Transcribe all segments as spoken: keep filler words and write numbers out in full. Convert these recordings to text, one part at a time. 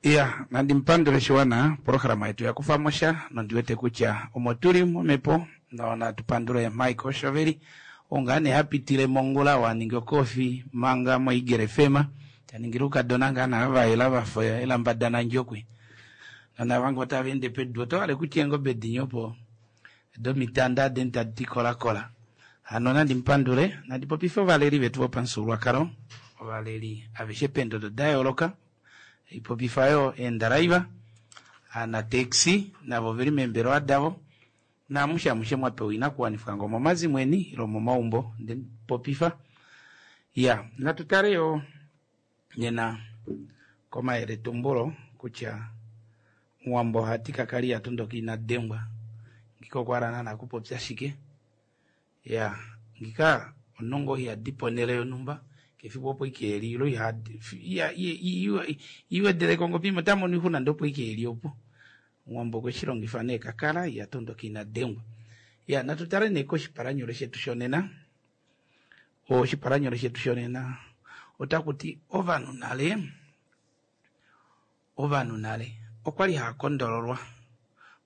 Iya, nandi mupandule shiwana, oprograma yetu yakufamosha nondiwete kutya omo tuli momhepo nonatu pandule Michael Shoveli ou ngaa nee hapitile mongula oo aningi okofi manga mo Eagle F M taningile oukadona ngaa nee vayela vafa eelamba daNandjokwe nonava ngoo tava ende pedu oto hale kutya eengobe dinya opo domitanda adeni tadi kolakola. Hano nandi mupandule, nandi popife ovaleli vetu vopamufyuululwakalo, ovaleli aveshe peendodo da yooloka, ipopifa yoo eendaraiva, aanateksi navo oveli meembelewa davo, naamushe amushe mwapewa oinakuwanifwa ngoo omomazimo eni ile omomaumbo ndemupopifa. Ya, natu tale yoo nena komayeletumbulo kutya Muwambo ohati kakali yatondoka ina dengwa, ngika okwa hala naana kupopya shike. Ya, ngika omunhu ngoo ihadi ponhele yonhumba kefiku opo ike eli ilo iwedeleko ngoo pima ota mono oixuna ndee opo ike eli opo. Omuwambo okwe shi longifa nee kakala ihatondoka ina dengwa. Ya, natu tale nee koshipalanyole shetu shonena. Oshipalanyole shetu shonena otaku ti ovanhu nale, ovanhu nale okwali hava kondololwa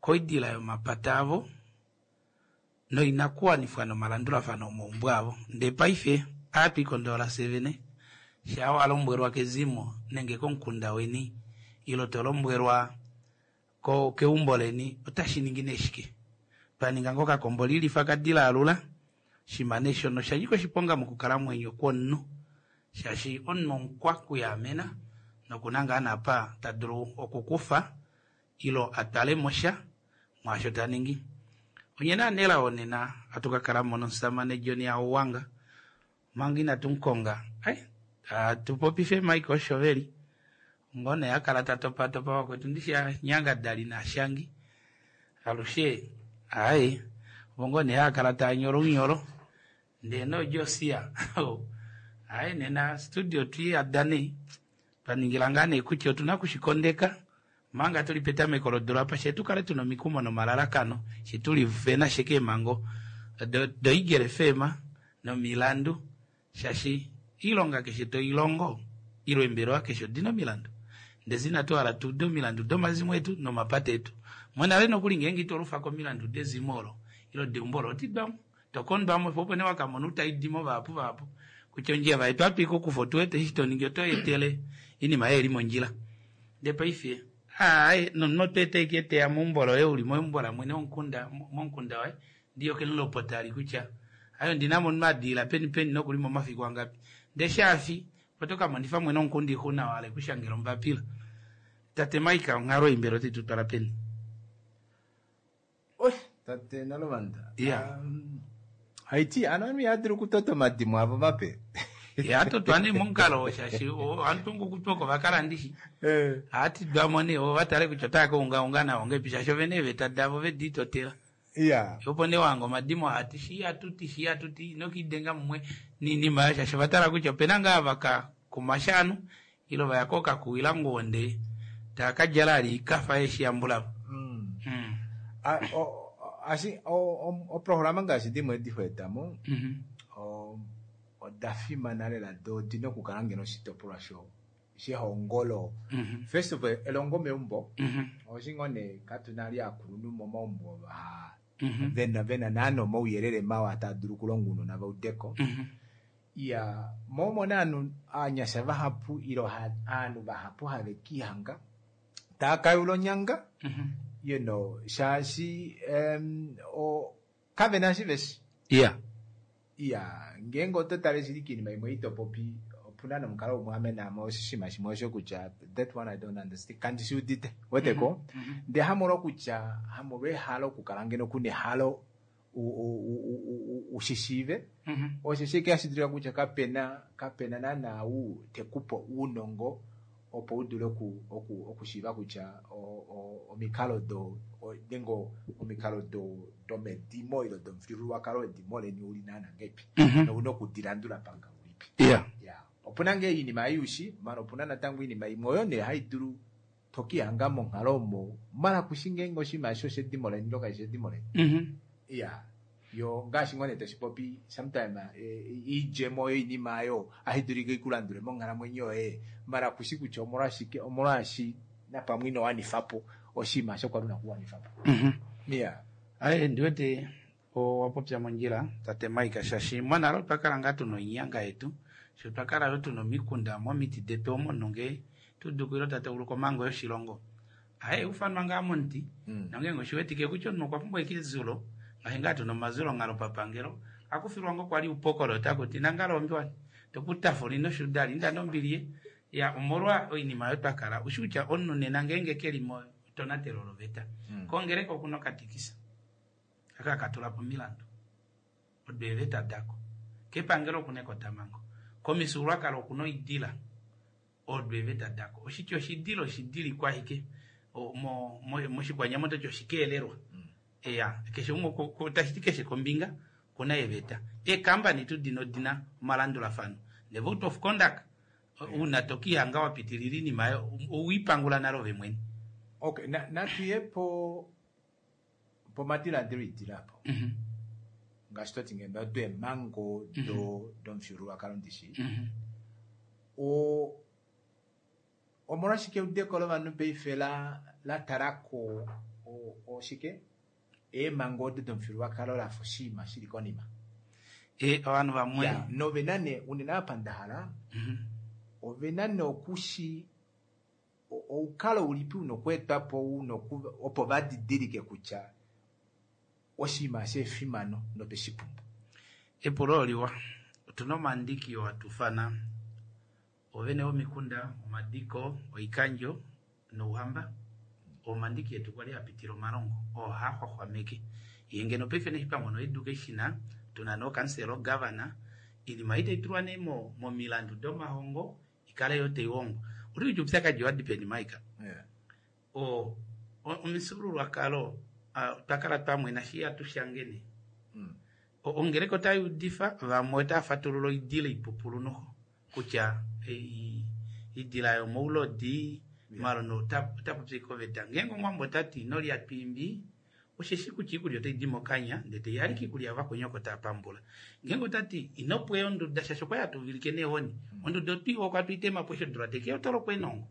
koidila yomapata avo noinakuwanifwa nomalandulafano omaumbo avo. Ndee paife ohatu ikondolola fyee vene, shaa wa lombwelwa kezimo nenge komukunda weni ile to lombwelwa keumbo leni otashi ningi nee shike? Twa ninga ngoo okakombo lilifa kadila alula, oshinima nee shono osha nyika oshiponga mokukalamwenyo kwomunhu shaashi omunhu omukwa kuyaamena nokuna ngaa naapa ta dulu okukufa ile a twale mo sha mwaasho ta ningi. Onye nee anelao nena ohatu ka kala mo nomusamane John Hauwanga omanga inatu mukonga ai atu popife Michael Shoveli ngoo nee a kala ta topatopa vakwetu ndishi anyangadali naashangi alushe aaye ovo ngoo nee haa kala taa nyola ounyolo ndee nooJosia aaye nena studio twiiyada nee twa ningila ngaa nee kutya otuna okushikondeka manga tuli petameko lodula apa she tukale tuna omikumo nomalalakano she tuli vena she keemhango doEagle F M nomilandu shaashi iilonga keshe toilongo ile eembelewa keshe odina omilandu ndee inatu hala tuude omilandu domazimo etu nomapata etu monale nokuli ngeenge ito lufa komilandu dezimo olo ile deumbo olo otidwamo tokondwamo opo nee wakamona utaidimo vahapu vahapu kutya ondjila vayetu ohatu ikukufa otuwete eshi toningi oto etele oinima yoye ili mondjila. Ndee paife aaye nomunhu oto ete ashike teya meumbo loye uli meumbo lamwene womukunda momukunda waye ndiyo kemulopota ali kutya aye ondina mo omunhu adiila peni peni nokuli momafiku angapi ndee shaafi oto kamonifa mwene womukunda oixuna wahala ekushangela ombapila. Tate Mike onghalo ei mbela otai tutwala peni? Oi, tate Nalovanda. Yeah. Um, haiti ano ovanhu ihava dulu okutota omadimo avo mape. Ihatotwa nee momukalo shaashi ovanhu ngokutwa oko vakala ndishi Eh. ohatidwamo nee vo vatale kutya otava ka ungaunga navo ngahelipi shaashi ovena eeveta davo vediitotela. Iya. Opo nee wahanga omadimo hati shi hatuti shi hatuti inokiidenga mumwe niinima oyo shaashi ovatala kutya opena ngaa vaka kumasha ovanhu ile vaya kookakuwila nguwo ndee tava kadjala ali oikafa yeeshi yambulavo. Mm. Mm. A- o- o- ashi o- o- oprograma ngaashi dimwe edi hoetamo Mhm. o- oda fimana lela do odina okukala ngeno oshitopolwa sho shehongolo. Mhm. First of all, elongo meumbo Mhm. oshi ngoo nee katuna ali aakulunhu momaumbo va Mhm. vena vena naana omauyelele mawa taa dulu okulonga ounona vaudeko. Mhm. Iya, mo omona ovanhu ovanyasha vahapu ile ovanhu vahapu have kiihanga taa kayula onyanga Mhm. you know shaashi um, o, kavena eshi veshi. Yeah. Iya, ngeenge oto tale shili kiinima imwe itopopi opuna nomukalo umwe ame naame oshinima shimwe osho kutya that one I don't understand kandi shi udite weteko Mhm. ndee hamolwa kutya hamolwa ehalo okukala ngeno kuna ehalo ushishiive Mhm. osho shike hashi dulika kutya kapena kapena naana ou tekupe ounongo opo u dule oku oku okushiiva kutya omikalo do nenge omikalo do domedimo ile domufyuululwakalo wedimo leni uli naana ngahelipi Mhm. nouna okudilandula pamukalo ulipi. Yeah. Ya, opuna ngee oinima ei ushi maala opuna natango oinima imwe oyo nee hai dulu tokihanga monghalo omo maala kushi ngeenge oshinima eshi oshedimo leni ile kashi shedimo leni. Mhm. Iya, yo ngaashi ngoo nee toshipopi sometime eh, oidjemo yoinima oyo ohayi dulika ikulandule monghalamwenyo yoye maala kushi kutya omolwashike omolwaashi napamwe ino wanifapo oshinima osho kwali una okuwanifapo. Mhm. Yeah. Aye ndiwete owapopya mondjila tate Mike shaashi monale otwa kala ngaa tuna oinyanga yetu sho twakala yo tuna omikunda momiti detu omo nonge tudukile tateuluka omhango yoshilongo aye ufanwa ngaa momuti Mm. nongenge oshiwetike kutya omunhu okwa pumbwa eke ezulo ngaashi ngaa tuna omazulonghalo papangelo akufilwa ngo kwali upokolo takuti nangalo ombiwani tokutafula ino shudali inda nombili ya omolwa oinima oyo twakala ushi kutya omunhu nena ngeenge keli motonatelo loveta Mm. kongereka okuna okatikisa aka katula po omilandu odo eeveta dako kepangelo okuna ekotamango komifyuululwakalo okuna oidila odo eeveta dako oshitya oshidila oshidilikwa ashike O- mo- mo- moshikwanyama ototi oshikeelelwa Mm. eya keshe umwe ko- ko- tashiti keshe kombinga kuna eeveta eekambani tu dino odina omalandulafano ne vote of conduct una tokihanga wapitilila iinima ayo owiipangula nale ove mwene Okay, na natuye po pomadiladilo idila apo Mhm, ngaashi toti ngeno odo eemhango do domufyuululwakalo ndishi mhm. o omolwashike eudeko lovanhu paife la la talako o- oshike eemhango odo domufyuululwakalo lafa oshinima shili konima E, ovanhu vamwe Ya, novena nee unene apa ndahala Mhm. ovena nee okushi o- oukalo ulipi una okweetwapo una oku- opo vadidilike kutya oshinima eshi efimano notweshipumbwa. Epulo oliwa otuna omandiki oo hatufana ovene vomikunda omadiko oikandjo nouhamba omandiki etu kwali apitila omalongo oo haaxwaxwameke yee ngeno paife neshi twamono education tuna nookansela ogavana iinima ei taitulwa nee mo- momilandu domahongo ikale yo taihongwa oti kutya oupyakadi owadipeni Mike Yeah. o o- omifyuululwakalo ah, twakala twamwena shi atushangene Mm. O- ongeleka otayuudifa vamwe otava fatulula oidila ipupulu noho kutya eh, idila yomoulodi Yeah. malono otapopi ike oveta ngeenge omuwambo otati inolya twiimbi osheshi kutya iikulya otaidi mokanya ndee taiyalike iikulya yavakweni oko taapambula ngeenge otati inopweya onduda shaashi okwali hatuvilike neehoni onduda otwiiwa okwatwiitemapo eshi odula tekeya otolokwa enongo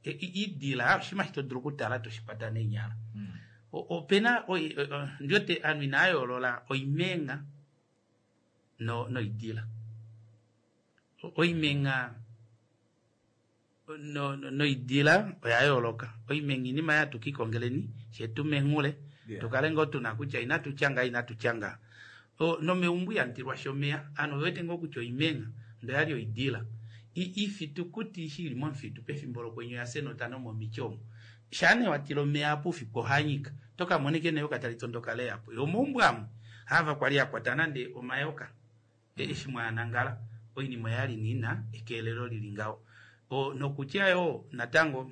E- i- idila oshinima shi todulu okutala toshikwata neenyala Mm. O- opena oi- o- o- ndiwete ovanhu inaayoolola oimenga no noidila O- oimenga no, no, noidila oya yooloka oimenga iinima yatu kiikongeleni shetumenghule Yeah. tukale ngoo tuna kutya inatu tyanga inatu tyanga O, nomeumbo ihamutilwa shomeya ovanhu ovewete ngoo kutya oimenga ndo yali oidila I- ifitukuti eshi ili momufitu pefimbo lokwenye oya senota nomomiti omo shaa nee watila omeya apo oufiku ohanyika tokamona ike neyoka tali tondoka leyapo yomaumbo amwe hava kwali akwata nande omayoka e- eshi mwaanangala oinima oyali niina ekeelelo lili ngaho O, nokutya yo natango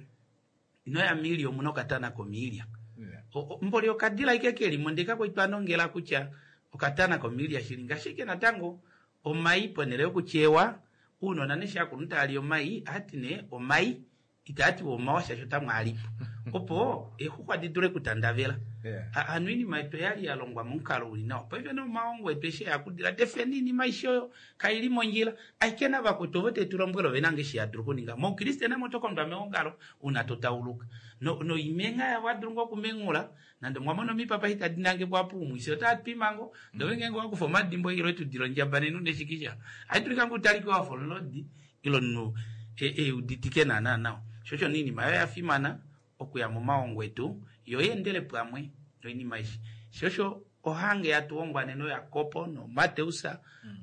inoya miilya omuna okatana komiilya Yeah. O- o- mboli okadila ike kelimo ndee kakwai nongela kutya okatana komiilya shili ngashike natango omai ponele yokuchewa uunona neshi akulunhu taali omai ahati nee omai itaatiwa omawa shaashi otamwaalipo opo eexuxwa didule okutandavela Yeah. A- hano oinima yetu oyali yalongwa momukalo uli nawa paife nomaongo etu eshi eakudila tefeni iinima aishe oyo kaili mondjila ashike navakwetu ovo tetulombwela ovena nge eshi yadulu okuninga moukriste namo tokondwa meongalo una totauluka No- noimenga yavo adulu ngoo okumengula nande mwamona omipapa itadi nangekwa puumwisi otaatwimango ndove ngeenge wakufa omadimbo ilo etudila ondjaba nenu neshikisha aidulika ngoo utalike wafa omulodi ilo omunhu e- euditike naana nawa shosho niinima oyo yafimana okuya momaongo etu yo yeendele pamwe noinima ishi shosho ohange yatuhongwa nena oyakopo nomateus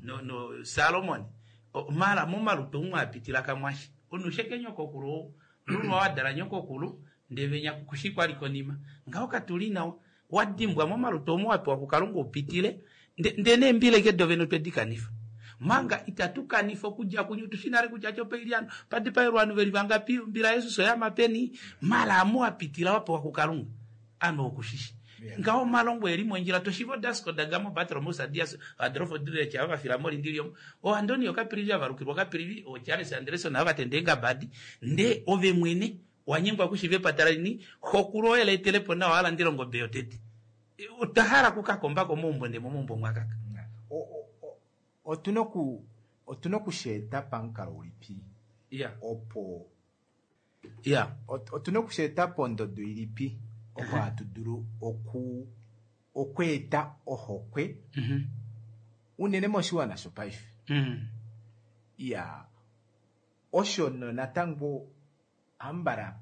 no, no salomon O- mala momalutu omwe apitila kamwashi omunhu sheke nyokokulu lulwa wadala nyokokulu ndee venya kushi kwali konima ngaho katuli nawa wadimbwa momalutu omo wapewa kukalunga upitile nde nde neembila ike dovene otwedi kanifa manga itatu kanifa okudja kunye tushi nale kutya chopeiliano padipaelwa ovanhu veli vangapi ombila yesus oyama peni mala amu wapitila wapewa kukalunga ame okushishi Yeah. ngaho omalongo eli mondjila toshiva odasco dagamo bartolomeus dias adolfo duleche ava vafila molindili omo oantonio kapilivi avalukilwa kapilivi ocharles anderson ava vatenda eengabadi nde ove mwene wanyengwa kushiva epata leni xokulu oye leetelepo nawa alandile ongobe yotete otwahala kukakombako moumbo nde momaumbo mwakaka Yeah. O- o- o- otuna oku otuna okusheeta pamukalo ulipi ya opo Ya. Otuna okusheeta pondodo ilipi opo hatu dulu oku okweeta ohokwe Mhm. unene moshiwana shopaife. Mhm. Iya, osho natango ambala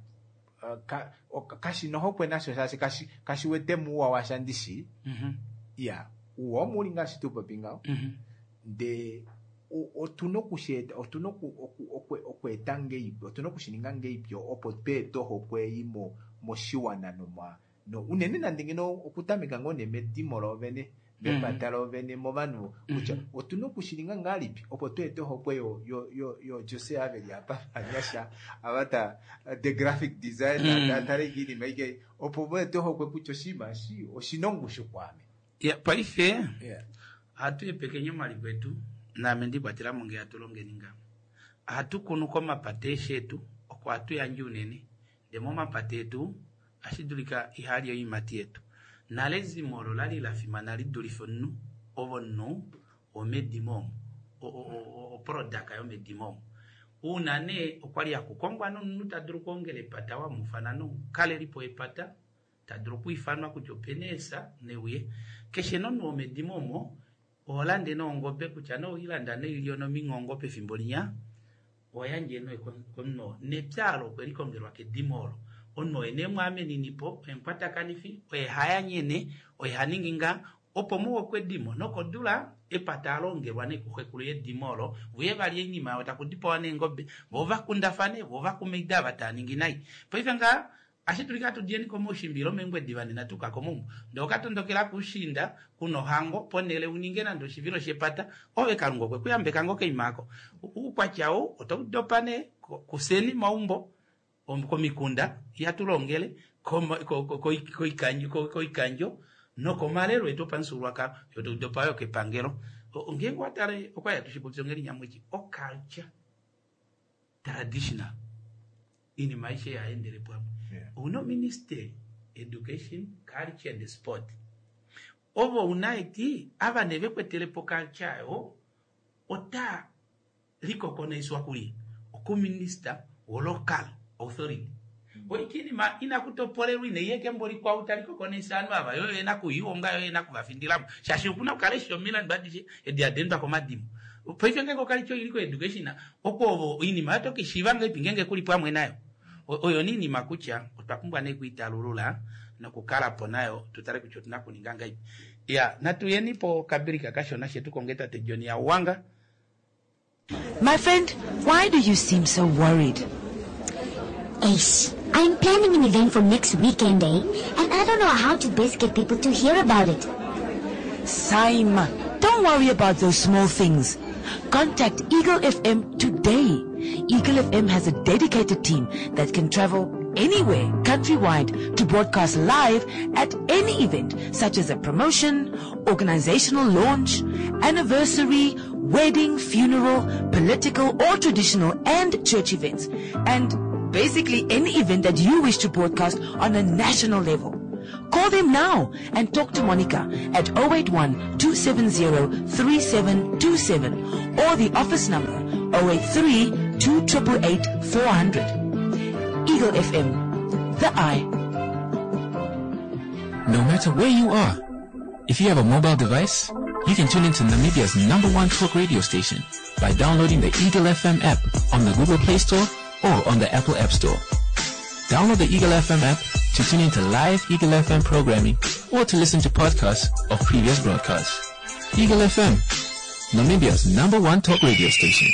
uh, ka, kashina ohokwe nasho shaashi kashi kashiwete muuwa washa ndishi. Mhm. Iya, uuwa omuli ngaashi tupopi ngaho. Mhm. Ndee otuna okusheeta otuna okweeta ngeipi otuna okushininga ngeipi opo tweete ohokwe ei mo moshiwana nomwa no unene nande ngeno okutameka ngoo nee medimo loovene mepata loovene movanhu kutya otuna okushininga ngahelipi opo tweete ohokwe yo yo yo yo Jose aveli apa vanyasha ava ta the graphic designer Mm. tatale iinima ike opo veete ohokwe kutya oshinima eshi oshina ongushu kwaame. Ya, paife Yeah. ohatu epekenya omaliko etu naame ndikwatelamo ngee hatu longeni ngaho. Ohatu kunu komapata eeshi etu oko hatu yandje unene ndee momapata etu ohashi dulika ihali oiimati yetu. Nale ezimo olo lali lafimana lidulife omunhu ove omunhu womedimo omo oproduct yomedimo omo. Uuna nee okwali hakukongwa nomunhu tadulu okwoongela epata wamufana nomukalelipo wepata tadulu okwiifanwa kutya opena eesa neuye. Keshe nomunhu womedimo omo oholande neengobe kutya nee oweilanda noilyo nomingongo pefimbo linya oyandje nee komunhu oo. Nepya olo okwe likongelwa kedimo olo. Omunhu oye nee mwaameninipo, oye mukwatakanifi, oye hayanyene, oye haningi nga opo muwokwe edimo nokodula epata alongelwa nee kuxekulu yedimo olo vuye valye oinima yawo takudipawa neengobe vo vakundafane vo vakumaida ava taaningi nai. Paife ngaha ohashi dulika hatu diyeni komaushimba ile meengwediva nena tuuka komaumbo ndee okatondokela kuushiinda kuna ohango ponele uninge nande oshivilo shepata ove kalunga okwe kuyambeka ngoo koima aako. Uukwatya ou otaudopa nee kufyeni maumbo komikunda ihatulongele koikandjo nokomalelo etu opamufyuululwakalo fyee taudopa yoo kepangelo. Ngeenge owatale okwali hatu shipopi onghedi nyamweshi oculture traditional iinima aishe yaendele pamwe. Ouna ministry education, culture and sport. Ovo una eti ava nee vekwetelepo culture aayo otaa likokonaiswa kulye okuminister wo local authority. Oikinima inakutopolelwa inaiya kembo likwao talikokonaisa ovanhu ava yoo yena okuihonga yoo yena okuvafindilamo shaashi okuna okukala eshi omilandu adishe edi hadeendwa komadimo. Paife ngeenge oculture oili ko education oko ovo oinima oyo otokishiiva ngahelipi ngeenge kuli pamwe nayo. Oyo nee oinima kutya otwa pumbwa nee okwiitalulula nokukalapo nayo tutale kutya otuna okuninga ngahelipi. Iya, natuyeni pokabreak kashona fye tukonge tate John Hauwanga. My friend, why do you seem so worried? Ace, I'm planning an event for next weekend, eh? And I don't know how to best get people to hear about it. Saima, don't worry about those small things. Contact Eagle F M today. Eagle F M has a dedicated team that can travel anywhere countrywide to broadcast live at any event, such as a promotion, organizational launch, anniversary, wedding, funeral, political or traditional and church events, and basically any event that you wish to broadcast on a national level. Call them now and talk to Monica at oh eight one, two seven zero, three seven two seven or the office number oh eight three, two triple eight, four hundred. Eagle F M, the eye. No matter where you are, if you have a mobile device, you can tune into Namibia's number one talk radio station by downloading the Eagle F M app on the Google Play Store or on the Apple App Store. Download the Eagle F M app to tune into live Eagle F M programming or to listen to podcasts of previous broadcasts. Eagle F M, Namibia's number one talk radio station.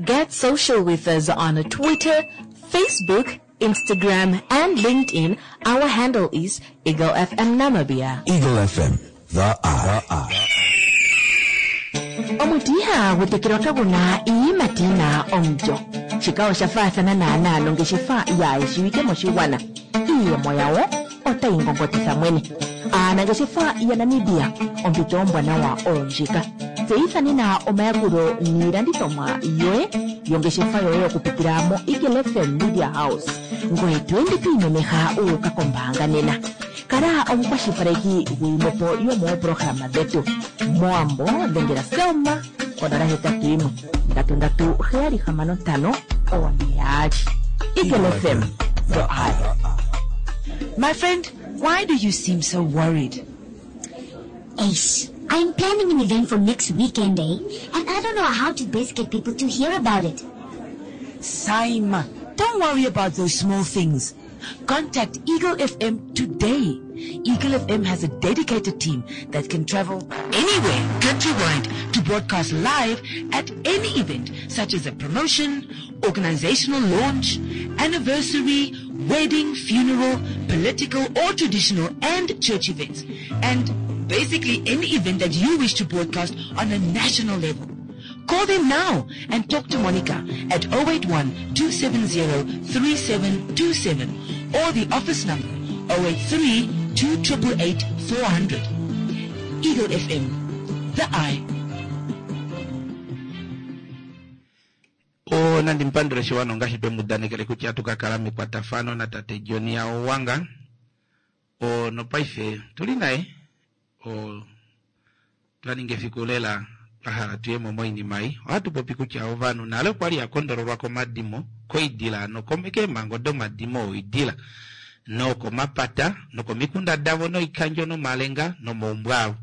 Get social with us on Twitter, Facebook, Instagram, and LinkedIn. Our handle is Eagle F M Namibia. Eagle F M, the eye. Omuti ihagu tekelwa kaguna iiyimati yina omulyo. Shika osha faathana naanaa nongeshefa yaayeshiwike moshigwana. Iiyemo yawo otayi ngongotitha mwene. Aanangeshefa yaNamibia, ompito ombwanawa oyo ndjika. Tseyitha nena omayakulo niilandithomwa yoye yongeshefa yoye okupitila mo Eagle F M Media House. Ngoye to ende to imemeha u uka kombaanga nena. Kala omukwashilipaleki gwiimwepo yomooprograma dhetu. Moambo dhengela Selma Onola hetatu imwe ndatu ndatu heyali hamano ntano one yaali. Eagle F M, the eye. My friend, why do you seem so worried? Ace, I'm planning an event for next weekend, eh? And I don't know how to best get people to hear about it. Saima, don't worry about those small things. Contact Eagle F M today. Eagle F M has a dedicated team that can travel anywhere countrywide to broadcast live at any event such as a promotion, organizational launch, anniversary, wedding, funeral, political or traditional and church events. And basically any event that you wish to broadcast on a national level. Call them now and talk to Monica at oh eight one two seven zero three seven two seven or the office number oh eight three two eight eight four hundred. Eagle F M, the eye. O nandi mpandule shiwano ngaashi twe mu danekele kutya tukakala mekwatafano natate John Owanga o nopaife tuli naye o twaninga efiku lela twa hala tuyemo moinima ei. Ohatu popi kutya ovanhu nale okwali ya kondololwa komadimo koidila nokeemhango domadimo oidila nokomapata nokomikunda davo noikandjo nomalenga nomaumbo avo,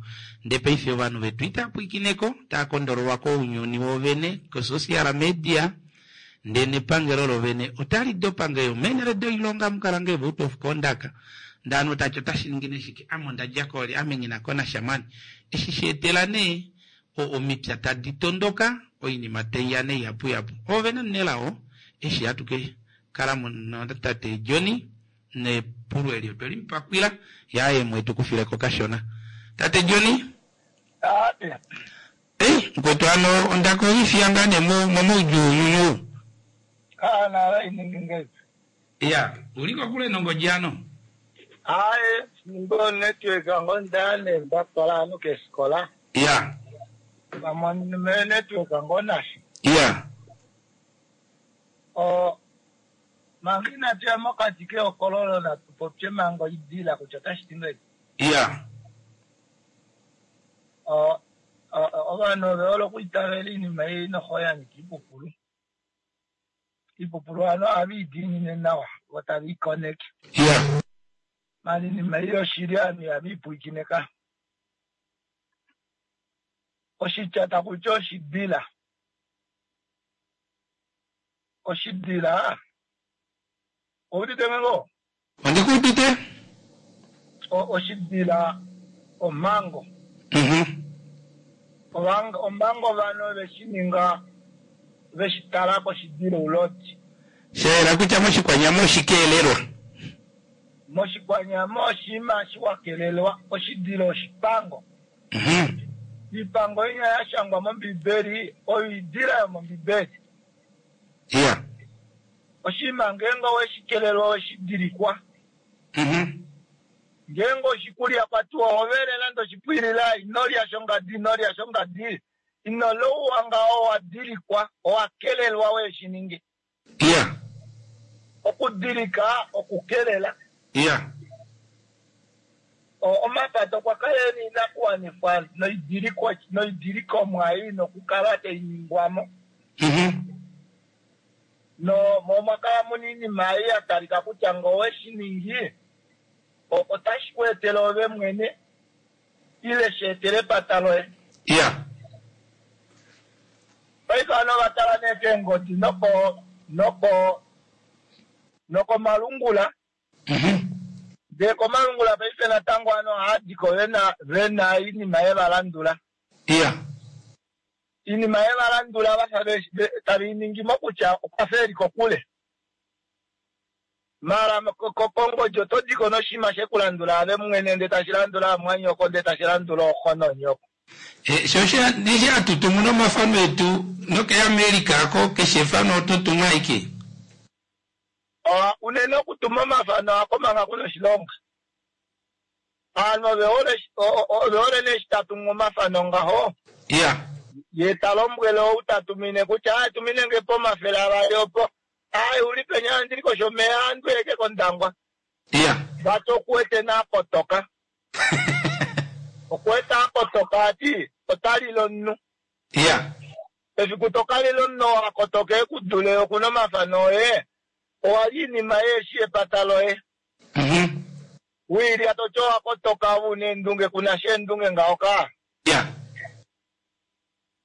ndee paife ovanhu vetu itava pwikineko tava kondololwa kounyuni wovene kosocial media ndee nepangelo lovene otali dopa ngeyo meenhele doilonga mukala ngee vote of conduct ndee ovanhu tati otashi ningi neshike ame ondadja kooli ame nghina konasha mani eshi sheetela nee omipya tadi tondoka oinima taiya nee ihapuihapu oovene nelao eshi hatu ke kala natate Johnny nepulo eli otwe limupakwila yaye mwetu kufileko kashona tate Johnny. Ei mukwetu ano ondaka oifiya ngaa nee momaudjuu. Ya uli kokule nongodi ano. Aye, ngo network ngo ndane ndatwala ano kesikola. Ya. Pamwe network ngo nashi. Ya. O manga inatu ya mokati kehokololo natu popye manga oidila kutya otashi ti ngahelipi. Ya. O ovanhu ove hole okwiitavela oinima ei noho ya nyika iipupulu. Iipupulu ovanhu ohave i diinine nawa vo tave i koneke. Ya. Maala oinima ei yoshili ovanhu ihave i pwiikine ka. Oshitya taku ti oshidila. Oshidila oudite ngoo? Ondikuudite. Oshidila omhango. Mhm. Omhango ovanhu ove shi ninga ve shi tala koshidila oulodi. Sha yela kutya moshikwanyama oshikeelelwa. Moshikwanyama oshinima shiwakelelwa oshidila oshipango. Mhm. Iipango inya ya shangwa mOmbibeli oyo idila yomOmbibeli. Ya. Oshinima ngeenge oweshi kelelwa oweshi dilikwa. Mhm. Ngeenge oshikulya kwatiwa ohovele nande oshipwilila inolya shongadi inolya shongadi ino louwa ngaho owa dilikwa owa kelelwa weshi ninge. Ya. Okudilika okukelela. Ya. Omapata okwa kala ena oinakuwanifwa noidiliko noidilikomwa ei nokukala tai ningwamo. Mhm. No mo mwakala muna iinima ei ya talika kutya ngee oweshi ningi otashi ku etele ove mwene ile shi etele epata loye. Ya. Paife ovanhu ova tala nee keengodi noko noko nokomalungula. Mhm. Ndee komalungula paife natango ovanhu ohava diko vena vena oinima ye va landula. Ya. Iinima ye va landula vafa tave i ningi mokutya okwafa eli kokule. Maala kongodi oto diko noshinima shekulandula ave mwene ndee tashi landula amwanyoko ndee tashi landula ooxo noonyoko. E, sho nishi hatu tumu nomafano etu nokeAmerica ko keshe efano oto tumu aike. Unene okutuma omafano ako manga kuna oshilonga. Ovanhu ove hole ove hole nee eshi tatumu omafano ngaho. Ya. Ye ta lombwele ou ta tumine kutya aye tumine nge pomafele avali opo. Aye uli peni ndili koshomeya andu eke kOndangwa. Ya. Vati okuwete naakotoka. Okuwete akotoka ati ota lile omunhu. Ya. Efiku tokalila omunhu oo a kotoka e ku dule okuna omafano oye, owa li inima yeeshi epata loye. Mhm. Wiilya toti owa kotoka ove una eendunge kuna sha eendunge ngaho ka. Ya.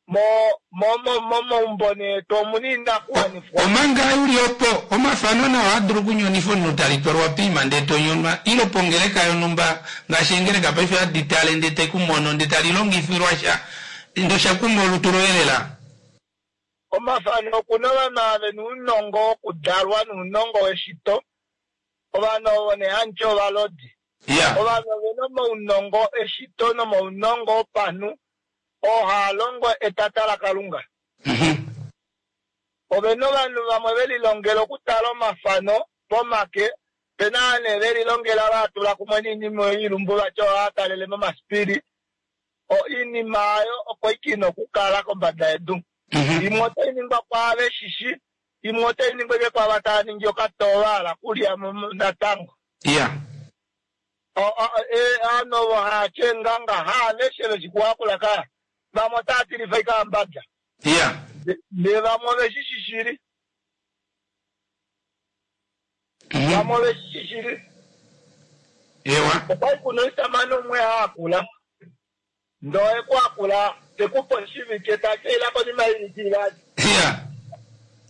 Mo mo mo momaumbo nee etu omuna oinakuwanifwa. Omanga uli opo omafano nao ohaa dulu okunyonifa omunhu tali twalwa poima ndee tonyonwa ile pongeleka yonhumba ngaashi eengeleka paife hadi tale ndee tekumono ndee tali longifilwa sha ndee osha kuma olutu loye lela. Omafano okuna ovanhu ava vena ounongo wokudalwa nounongo weshito. Ovanhu ovo nee hamuti ovalodi. Ya. Ovanhu ovena omaunongo eshito nomaunongo opanhu oo haa longo etata laKalunga. Mhm. Ovena ovanhu vamwe velilongela okutala omafano pomake, pena ava nee velilongela vaatula kumwe noinima oyo oilumbu vati ohaa talele momasipili. Oinima oyo oko ike ina okukala kombada yedu. Mhm. Imwe otai ningwa kwaava veshishi, imwe otai ningwa ike kwaava tava ningi okatoo vahala kulya mo natango. Ya. Ovanhu ovo haatya eenganga haaveshe veshi kuhakula ka. Vamwe otava tilifa ike ambada. Ya. Ndee vamwe oveshi shili. Mhm. Vamwe oveshi shili. Ewa. Okwali kuna omushamane umwe haakula. Ndee oye tekupe oshivike takeila konima yoivike ivali. Ya.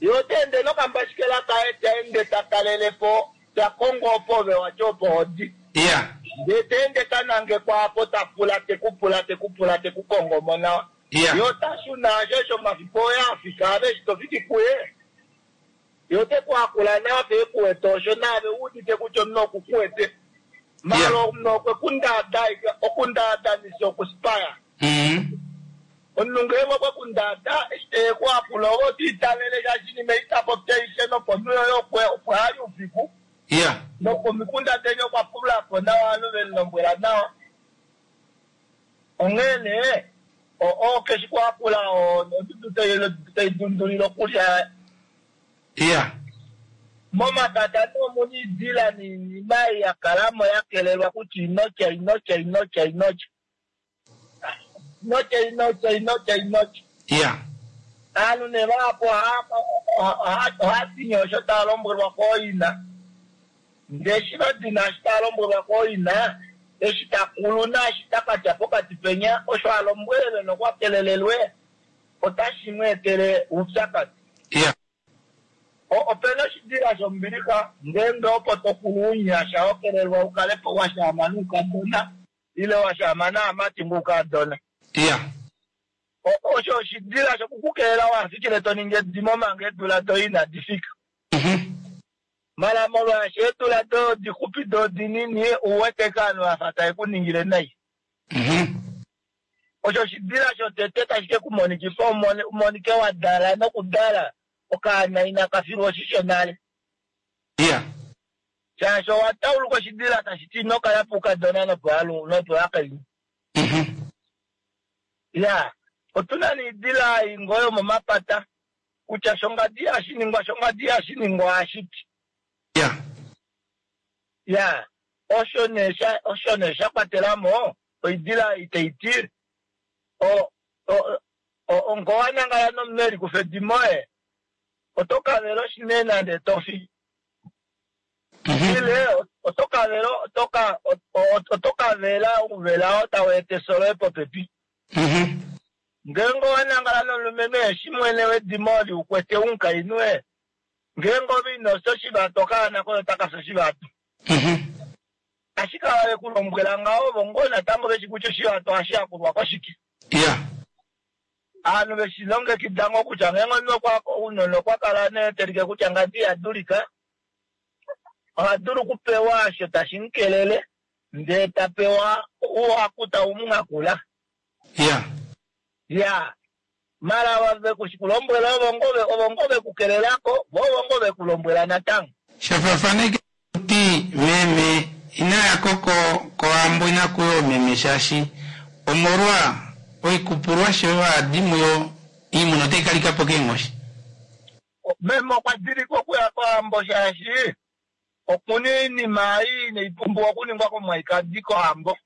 Ye ota ende nokambashikela kaye ta ende ta kalele po ta kongo opo ove wati opo hodi. Ya. Ndee ta ende ta nangekwa apo ta pula tekupula tekupula tekukongo mo nawa. Ya. Ye ota shuna osho omafiku oye afika ave eshi tofiki kuye. Ye ote ku hakula naave ekuwete osho naave wuudite kutya omunhu okukuwete. Mala omunhu okwe ku ndaada okundaadanisa okuspaya. Mhm. Omunhu ngeenge okwe ku ndaada eshi teye ku hakula ove otiitavele shaashi inima ei tapopi aishe noponhu yoye opo ali oufiku. Ya. Nokomikunda deni okwa pulapo nawa ovanhu vemulombwela nawa. Onghee nee oo keshi kuhakula odudu tai dundulile okulya. Ya. Momapata nee omuna oidila noinima ei yakalamo yakelelwa kutya inotya inotya inotya inotya. Inotya inotya inotya inotya. Ya. Aanhu nee vahapu ohaa dini osho tava lombwelwa kooina. Ndee eshi vadina eshi tava lombwelwa kooina, eshi takulu naashi takatya pokati penya, osho alombwelelwe nokwa kelelelwe, otashi mu etele oupyakadi. Ya. Opena oshidila shombilixa ngeenge opo tokulu ounyasha hokelelwa ukale po washaama noukadona ile washaama naamati ngoukadona. Ya. Osho oshidila shokukukelela wafikile toningi edimo manga eedula doye inadi fika. Mhm. Mala molwaashi eedula doye odixupi doo odinini ouwete ke ovanhu vafa tave ku ningile nai. Mhm. Osho oshidila shotete tashi ke kumonikifa umonike wa dala nokudala okaana inaka filwa oshisho nale. Ya. Shaashi owa tauluka oshidila tashi ti ino kala poukadona nopovakainhu. Mhm. Ya, otuna noidila ei ngoo yomomapata kutya shongadi ihashi ningwa shongadi ihashi ningwa ohashiti. Ya. Ya, osho nee sha osho nee sha kwatela mo oidila ei tai ti o o ngoo wanangala nomunhu elikufa edimo oye oto kavela oshinene nande tofi. Mhm. Ile oto kavela oto oto kavela ouvela oo tau eta efyo loye popepi. Mhm. Ngeenge owanangala nomulumenhu eshi mwene wedimo oli ukwete omukainhu e, ngeenge ove ino fya oshivato okaana koye otaka fi oshivato. Mhm. Ashike ava vekulombwela ngaho ovo ngoo natango veshi kutya oshivato ohashi hakulwa koshike. Ya. Ovanhu veshi longekida ngoo kutya ngeenge omunhu ounona okwa kala nee telike kutya ngadi ihadulika, oha dulu okupewa osho tashi mu kelele ndee ta pewa ouhaku tau mu hakula. Ya. Ya, mala vekulombwela ovo ngoo ovo ngoo vekukelelako vo ovo ngoo vekulombwela natango. Shafafaneke ti meme inaya ko kohambo inakuya oomeme shaashi omolwa oikupulwashi oyo hadi muyo iimuna otai kalika po keenghoshi. Meme okwa dilika okuya kohambo shaashi okuna oinima ei inai pumbiwa okuningwa komwaikadi kohambo.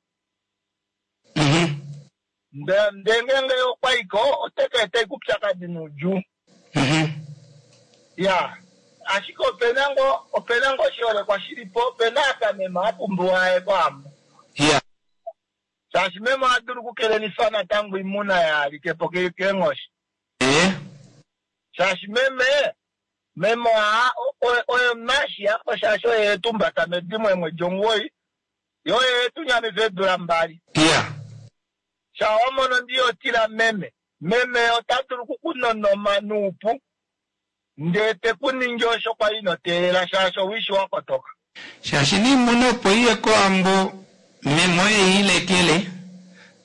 Mhm. Nde- ndee ngeenge okwa iko oteka eta ikupyakadi noudjuu. Mhm. Ya, ashike opena ngoo opena ngoo oshiholekwa shilipo, opena apa meme apumbiwa aye kohambo. Ya. Shaashi meme oha dulu okukelelifa natango oimuna yaalikepo ke- keenghoshi. Eh. Shaashi meme meme oha oye- oye omunashiyapo shaashi oye etumbata medimo eemwedi omugoyi, ye oye etunyamifa eedula mbali. Ya. Sha wamono ndiyotila meme, meme ota dulu okukunonoma noupu ndee tekuningi osho kwali ino teelela shaashi owishi wakotoka. Shaashi niimuna opo iye kohambo meme oye ilekele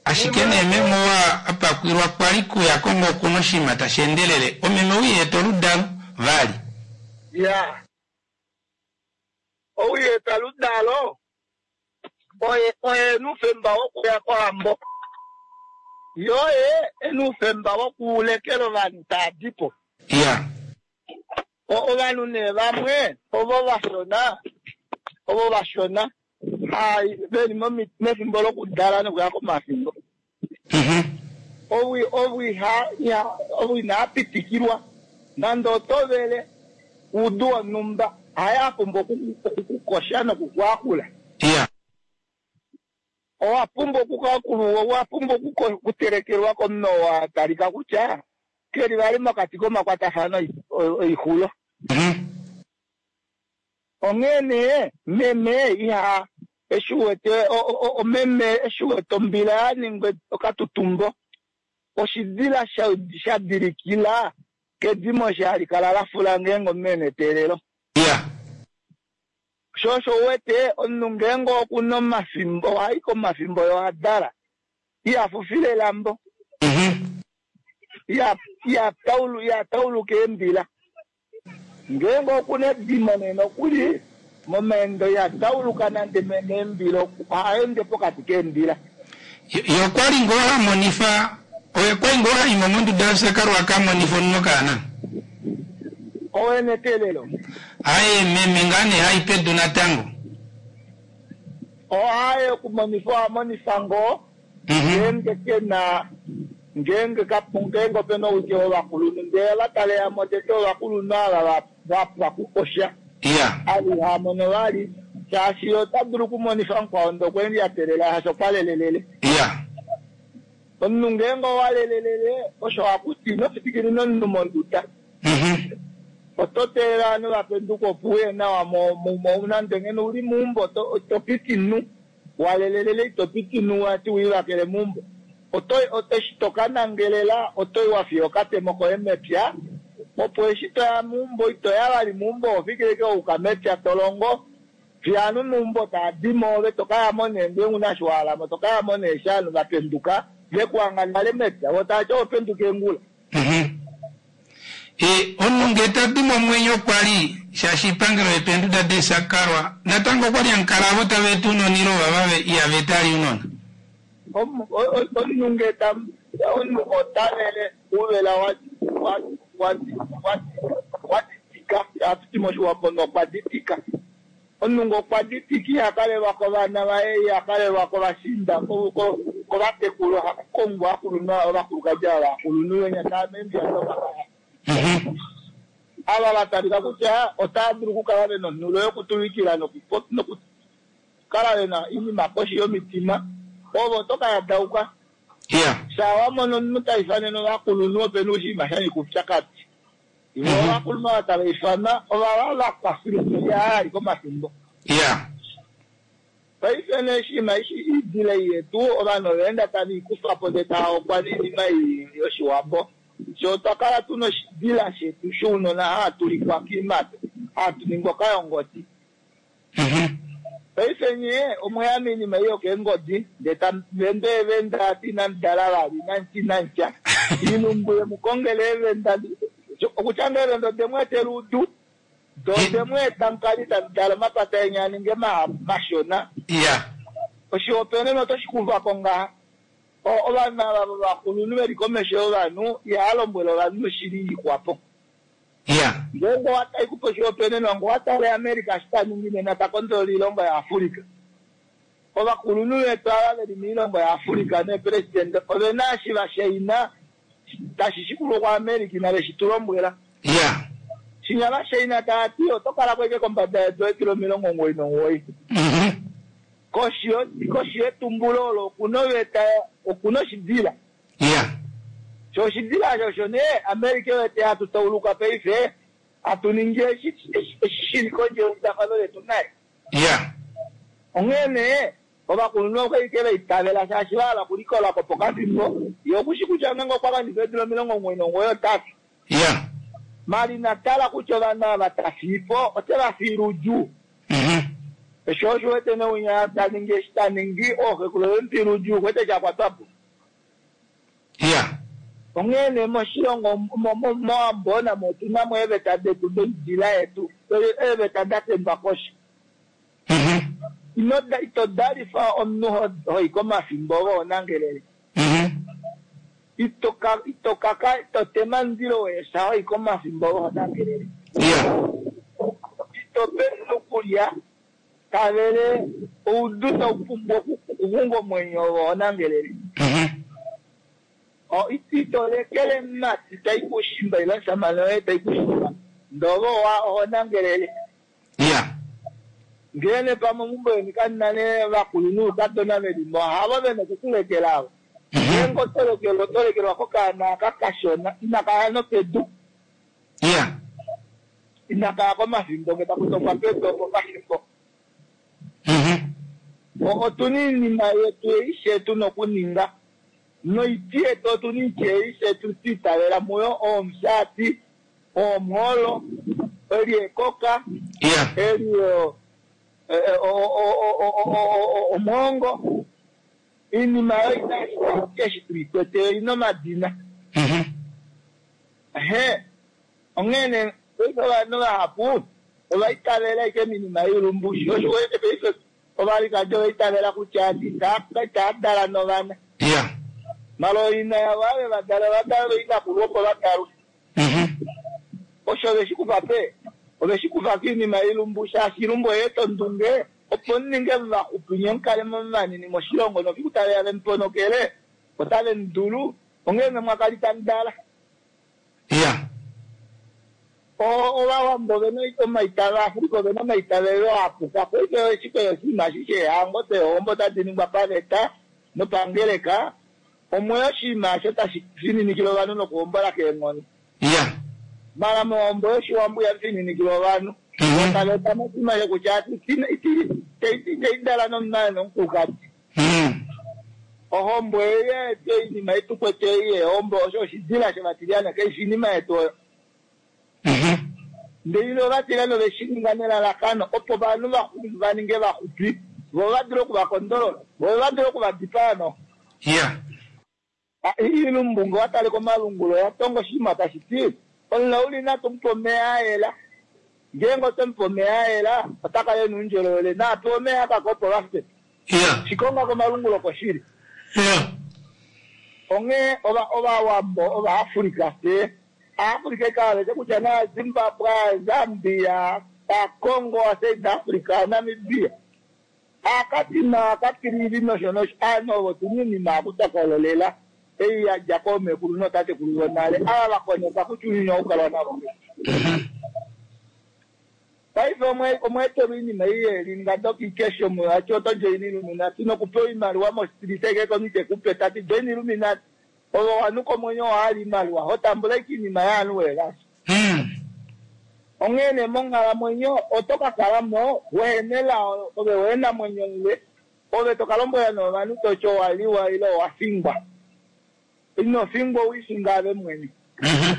ashike nee meme wa apakwilwa kwali kuya kongo okuna oshinima tashi endelele omeme ouyeta oludalo vali. Ya, ouyeta oludalo oye oye ena oufemba wokuya kohambo, ye oye ena oufemba wokulekela ovanhu taadipo. Ya. O- ovanhu nee vamwe ovo vashona ovo vashona hai veli momi- mefimbo lokudala nokuya komafimbo. Mhm. Owi owi ha ya owi inapitikilwa nande otovele uudu wonhumba haya pumbwa oku- okukukosha nokukuakula. Ya. Owa pumbwa okukakulwa, owa pumbwa okuko- okutelekelwa komunhu oo a talika kutya keli vali mokati komakwatafano oi- oi- oixulo. Mhm. Onghee nee meme iha eshi uwete o- o- o- meme eshi uwete ombila ya ningwa okatutumbo oshidila sha- sha dilikila kedimo eshi hali kala lafula ngeenge omunhu ena eteelelo. Ya. Sho osho uwete omunhu ngeenge okuna omafimbo ohayi komafimbo yo adala iha fufile elambo Mhm. iha iha taulu iha tauluka eembila. Ngeenge okuna edimo nee nokuli momaendo iha tauluka nande meembila ohaende pokati keembila. Yo yo kwali ngoo hamonifa oye kwali ngoo haimo monduda yosakalwa akamonifa omunhu okaana. Owene eteelelo Aye meme ngaa nee hai pedu natango. ohaye okumonifa ohamonifa ngoo Mhm. ngeenge kena ngeenge kapu ngeenge opena owike wovakulunhu ndee ova taleyamo tete ovakulunhu ava va- va pwa kukosha Ya. ali hamono vali shaashi ota dulu okumonifa mukwao ndee okwendi atelela shaashi okwa lelelele. Ya. Omunhu ngeenge owa lelelele osho hakuti ino fitikilina omunhu monduda. Mhm. Oto teelela ovanhu vapenduka opo uye nawa mo- mo- mo- nande ngeno uli meumbo oto oto piti nu walelelele ito piti nu wati wiivakele meumbo. Oto oto eshi tokanangelela otoyi wafiya okatemo koye mepya opo eshi toya meumbo itoya vali meumbo oho fikile ashike wauka mepya tolongo fiyo ovanhu meumbo taadimo ove tokayamo nee ngeenge una eshi wahalamo tokayamo nee eshi ovanhu vapenduka vekuhanga nale mepya vo tavati oho penduka eengula. Mhm. E, omunhu ngee tadi momwenyo kwali shaashi ipangelo yepeenduda deesakalwa natango okwali hamukala avo tava eta ounona ile ovava ve- ihava eta ali ounona. Omu- o- o- omunhu ngee ta omunhu otavele ouvela wa wa wa wa waditika hatuti moshiwambo nokwa ditika. Omunhu ngee okwa ditika iha kalelwa kovana vaye iha kalelwa kovashiinda ko- ko- kovatekulu ohakukongwa akulunhu ovakulukadi ava vakulunhu venya tava meembiya domakaya. Mhm. Ava vatalika kutya otava dulu okukala vena onhulo yokutuvikila nokupo- nokukala vena oinima koshi yomitima ovo otokayadauka. Ya. Sha wamono omunhu taifanene ovakulunhu opena oshinima shanyika oupyakadi. Vo Mhm. ovakulunhu ava tava ifana ovava vakwafilwa ali komafimbo. Ya. Paife nee oshinima eshi iidila ei yetu ovanhu ovaenda tave ikufapo ndee tava okwa noinima ei yoshiwambo. Sho otwa kala tuna oshidila shetu shounona haatulikwa kiimate hatu ningwa okayongoti. Mhm. Paife nye omweya moinima ei yokeengodi ndee tamuvende eevenda ati inamudala vali inamutya inamutya ilumbu yemukongela eevenda okutya ngoo eevenda odemweetela oudu do odemweeta mukale tamu dala omapata eni aninge ma- mashona. Ya. Oshihopaenenwa otoshi kuvako ngaha O- ovanhu ava vakulunhu veli komesho yovanhu ihava lombwele ovanhu oshili iikwapo. Ya. Ngeenge owatai kupa oshihopaenenwa ngee owatale America eshi taningi nena takondolola oilongo yaAfrica. Ovakulunhu vetu ava veli moilongo yaAfrika neepresidente ove na eshi va shaina tashi shikulwa kuAmerica inave shi tu lombwela. Ya. Shinya va shaina tava ti oto kala ko ashike kombada yedu eedula omilongo omuwoi nomuwoi. Mhm. Koshi yo- koshi yetumbulo olo okuna oveta okuna oshidila. Ya. Sho oshidila osho osho nee America wete hatu tauluka paife hatu ningi eshi eshi- eshi shili kondje yeudafano letu naye. Ya. Onghee nee ovakulunhu okwali va itavela shaashi va hala okulikola ko pokafimbo ye okushi kutya ngeenge okwa wanifa eedula omilongo omuwoi nomuwoi otati. Ya. Mali natala kutya ovanhu ava ta fiipo ote va fiile oudjuu. Mhm. Osho osho wete neunya ta ningi eshi ta ningi ooxekulu vemufiile oudjuu wete shakwatwa po. Ya. Onghee nee moshilongo mo- mo- mOwambo namo otuna mo eeveta detu doidila yetu eeveta da tembwa koshi. Mhm. Ino da- ito dalifa omunhu ho- hoi komafimbo voonangelele. Mhm. Ito ka- ito kaka ito tema omundilo weesha hoi komafimbo voonangelele. Ya. Ito pe omunhu kulya tavele oudu tau pumbwa oku- okuxunga omwenyo voonangelele. Mhm. O- ito lekele mati tai kushimba ile omushamane woye tai kushimba ndove owa ohonangelele. Ya. Ngele pamwe meumbo leni kamuna nee vakulunhu oukadona velimo havo vena okukulekela avo. Mhm. Ngeenge oto lekelwa oto lekelwa kokaana aka kashona inaka ya nopedu Ya. inaka ya komafimbo nge taku tokwa pedu opo pafimbo. Mhm. O- Otuna oinima yetu eishe tuna okuninga noiti yetu otuna oiti eishe twiitavela muyo omusati, oomwoolo, eli ekoka, Ya. eli o- e- e- o- o- o- o- o- o- omwoongo. Iinima oyo ina eshi tuikwete oina omadina. Mhm. Ehe, onghee nee paife ovanhu vahapu ova itavela ashike minima yoilumbu osho wete paife ovalikadi ova itavela kutya ita- itaa dala novana. Ya. Mala oina yavo ave va dala va dala oinakulu opo va dalwe. Mhm. Osho oveshi kufa pe oveshi kufa kiinima yoilumbu shaashi ilumbu oya eta ondunge opo muninge muvaxupi nye mukale mo vanini moshilongo nofiku taveya vemuponokele otave mudulu onghee ne mwakali tamu dala. Ya. O- Ovawambo ovena omaitavelo Afrika ovena omaitavelo apuka paife eshi oshinima eshi sheehango deehombo otadi ningwa paveta nopangeleka omwe oshinima osho tashi fininikile ovanhu nokuhombola keenghono. Ya. Mala mohombo yoshiwambo ihamu fininikilwa ovanhu. Mhm. Taveta moshinima shokutya iteidala nomunhu nomukulukadi. Mhm. Ohombo ei yetu oinima yetu kwete ei yeehombo osho oshidila shovatilyane kaifi oinima yetu oyo. Mhm. Ndele ovatilyane ove shi ninga nelalakano opo ovanhu vaxu- va ninge vaxupi vo va dule okuvakondolola vo va dule okuvadipaa no. Ya. Iilumbu nge watale komalungulo oya tonga oshinima tashi ti omulauli natu mupe omeya ayela ngeenge oto mupe omeya ayela ota kala ena oundjolowele naapewa omeya akaka opo vafye. Ya. Shikonga komalungulo koshili. Ya. Onghee ova ovawambo ovaafrika fye aafrika ekavete kutya na Zimbabwe, Zambia, Congo, South Africa, Namibia akatima akatilili nosho nosho aanhu ovo tuna oinima akutokololela ei yadja koomekulu nootatekulu vonale ava vakoneka kutya ounyuni oukalwa navo. Mhm. Paife omwe omweetelwa oinima ei yeelinga dokikesho ati oto join Illuminati nokupewa oimaliwa mostrita eke komunhu tekupe tati join Illuminati ove owanuka omwenyo owahala oimaliwa hotambula ashike oinima yaanhu weelasha. Mhm. Onghee nee monghalamwenyo oto ka kala mo wehena elao ove wehena mwenyo mule ove toka lombwela nee ovanhu toti owaliwa ile owafingwa. Ino fingwa owiifinga ove mwene. Mhm.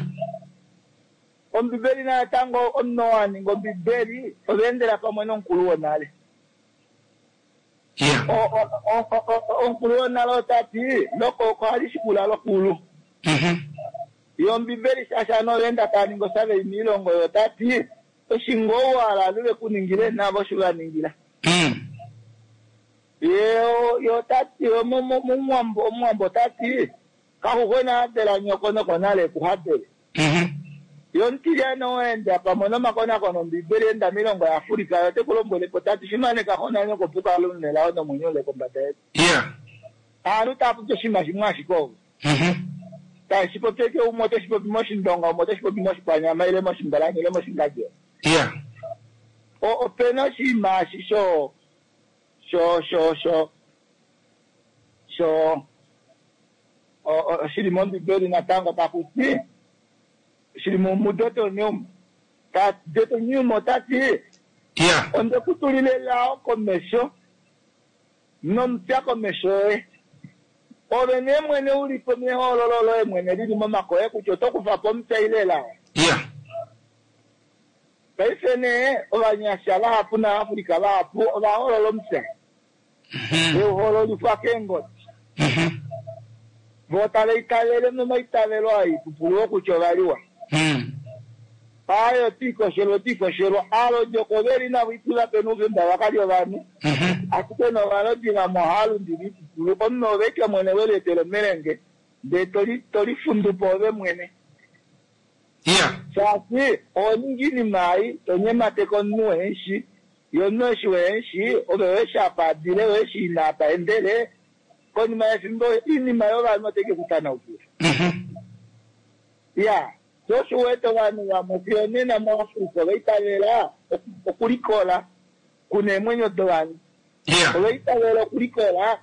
Ombibeli natango omunhu oo aninga ombibeli ova endela pamwe nomukulu wonale. Ya. O- o- o- o- o- omukulu wonale otati lokoko ohali shikula lokulu. Mhm. Yo ombibeli shaashi ovanhu ovaenda tava ningi osavei moilongo oyo otati eshi ngoo wahala ovanhu vekuningile navo osho vaningila. Mhm. Ye ye otati yo mo- mo- momuwambo omuwambo otati kaxuxwena hadela nyoko nokonale ekuhadele. Mhm. Yo omutilyane oenda pamwe nomakonakono ombibeli enda miilongo yaAfrika yo ote ku lombwele po tati fimaneka xo nanyoko opo u kale u nelao nomwenyo ule kombada yedu. Yeah. Aantu taya popi oshinima shimwe ashike ovo. Mhm. Tashi popi eke umwe oteshi popi moshindonga, umwe oteshi popi moshikwanyama ile moshimbalani ile moshingadjo. Yeah. O- Opena oshinima eshi sho sho sho sho sho o- o- shili mombibeli natango taku ti shili mu- muDeuteronomium. Ta- Deuteronomium ota ti Yeah. onde ku tulile elao komesho nomupya komesho yoye. Ove nee mwene u li po mehoololo loye mwene lili momake oye kutya oto kufa po omupya ile elao. Yeah. Paife nee ovanyasha vahapu naAfrika vahapu ovahoolola omupya. Mhm. Euhoololifwa keengodi. Mhm. Vo tava itavele momaitavelo aipupulu kutya ovaliwa. Mm. Ayo tiikoshelwa otiikoshelwa aalodi oko veli navo itula pena oufemba vakali ovanhu. Mhm. Ashike novalodi vamwe ohava lundile oipupulu. Omunhu ove eke mwene welietela omelenge ndee toli tolifundu po ove mwene. Yeah. Shaashi oho ningi iinima ei to nyemateke omunhu weheshi ye omunhu eshi weheshi ove weshi apa adile weshi ina apa endele konima yefimbo iinima yovanhu otai ke kutanaukila. Mhm. Ya sho osho uwete ovanhu vamwe fiyo nena muAfrika ova itavela oku- okulikola kuna eemwenyo dovanhu. Yeah. Ova itavela okulikola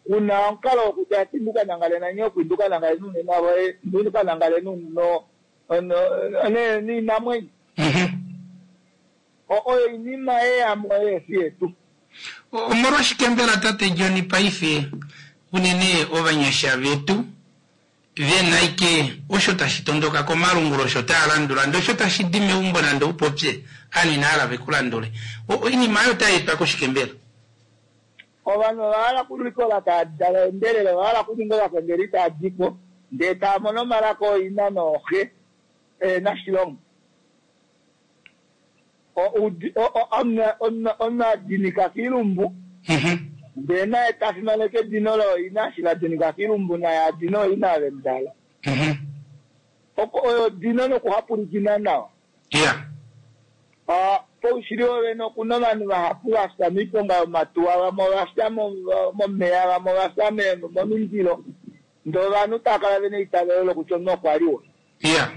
kuna omukalo wokutya ati nduka nangale nanyoko nduka nangale nuunona voye nduka nangale nuno niinamwenyo. Mhm. O- oyo iinima yeyamo yeefi yetu. Omolwashike mbela tate John paife unene ovanyasha vetu vena ike osho tashi tondoka komalungulo osho taya landula ndee osho tashi di meumbo nande upopye ovanhu inahala vekulandule. O- Oinima oyo otai etwa koshike mbela? Ovanhu ova hala okulikola tava endelele, ova hala okuninga ovakengeli tava di po ndee tava mono omalaka ooina nooxe ehena shilongo. O- udi- o- o- omunhu- omunhu omunhu adinika kiilumbu Mhm. ndee naye ta fimaneke edino looina eshi la dinika kiilumbu naye adina ooina vemudala. Mhm. Oko oyo dino nokuhapulikina nawa. Yeah. Ah, poushili wovene okuna ovanhu vahapu vafya miiponga yomatuwa, vamwe ovafya mo- momeya, vamwe ovafya me- momindilo. Ndee ovanhu tava kala vena eitavelo lokutya omunhu okwa liwa. Yeah.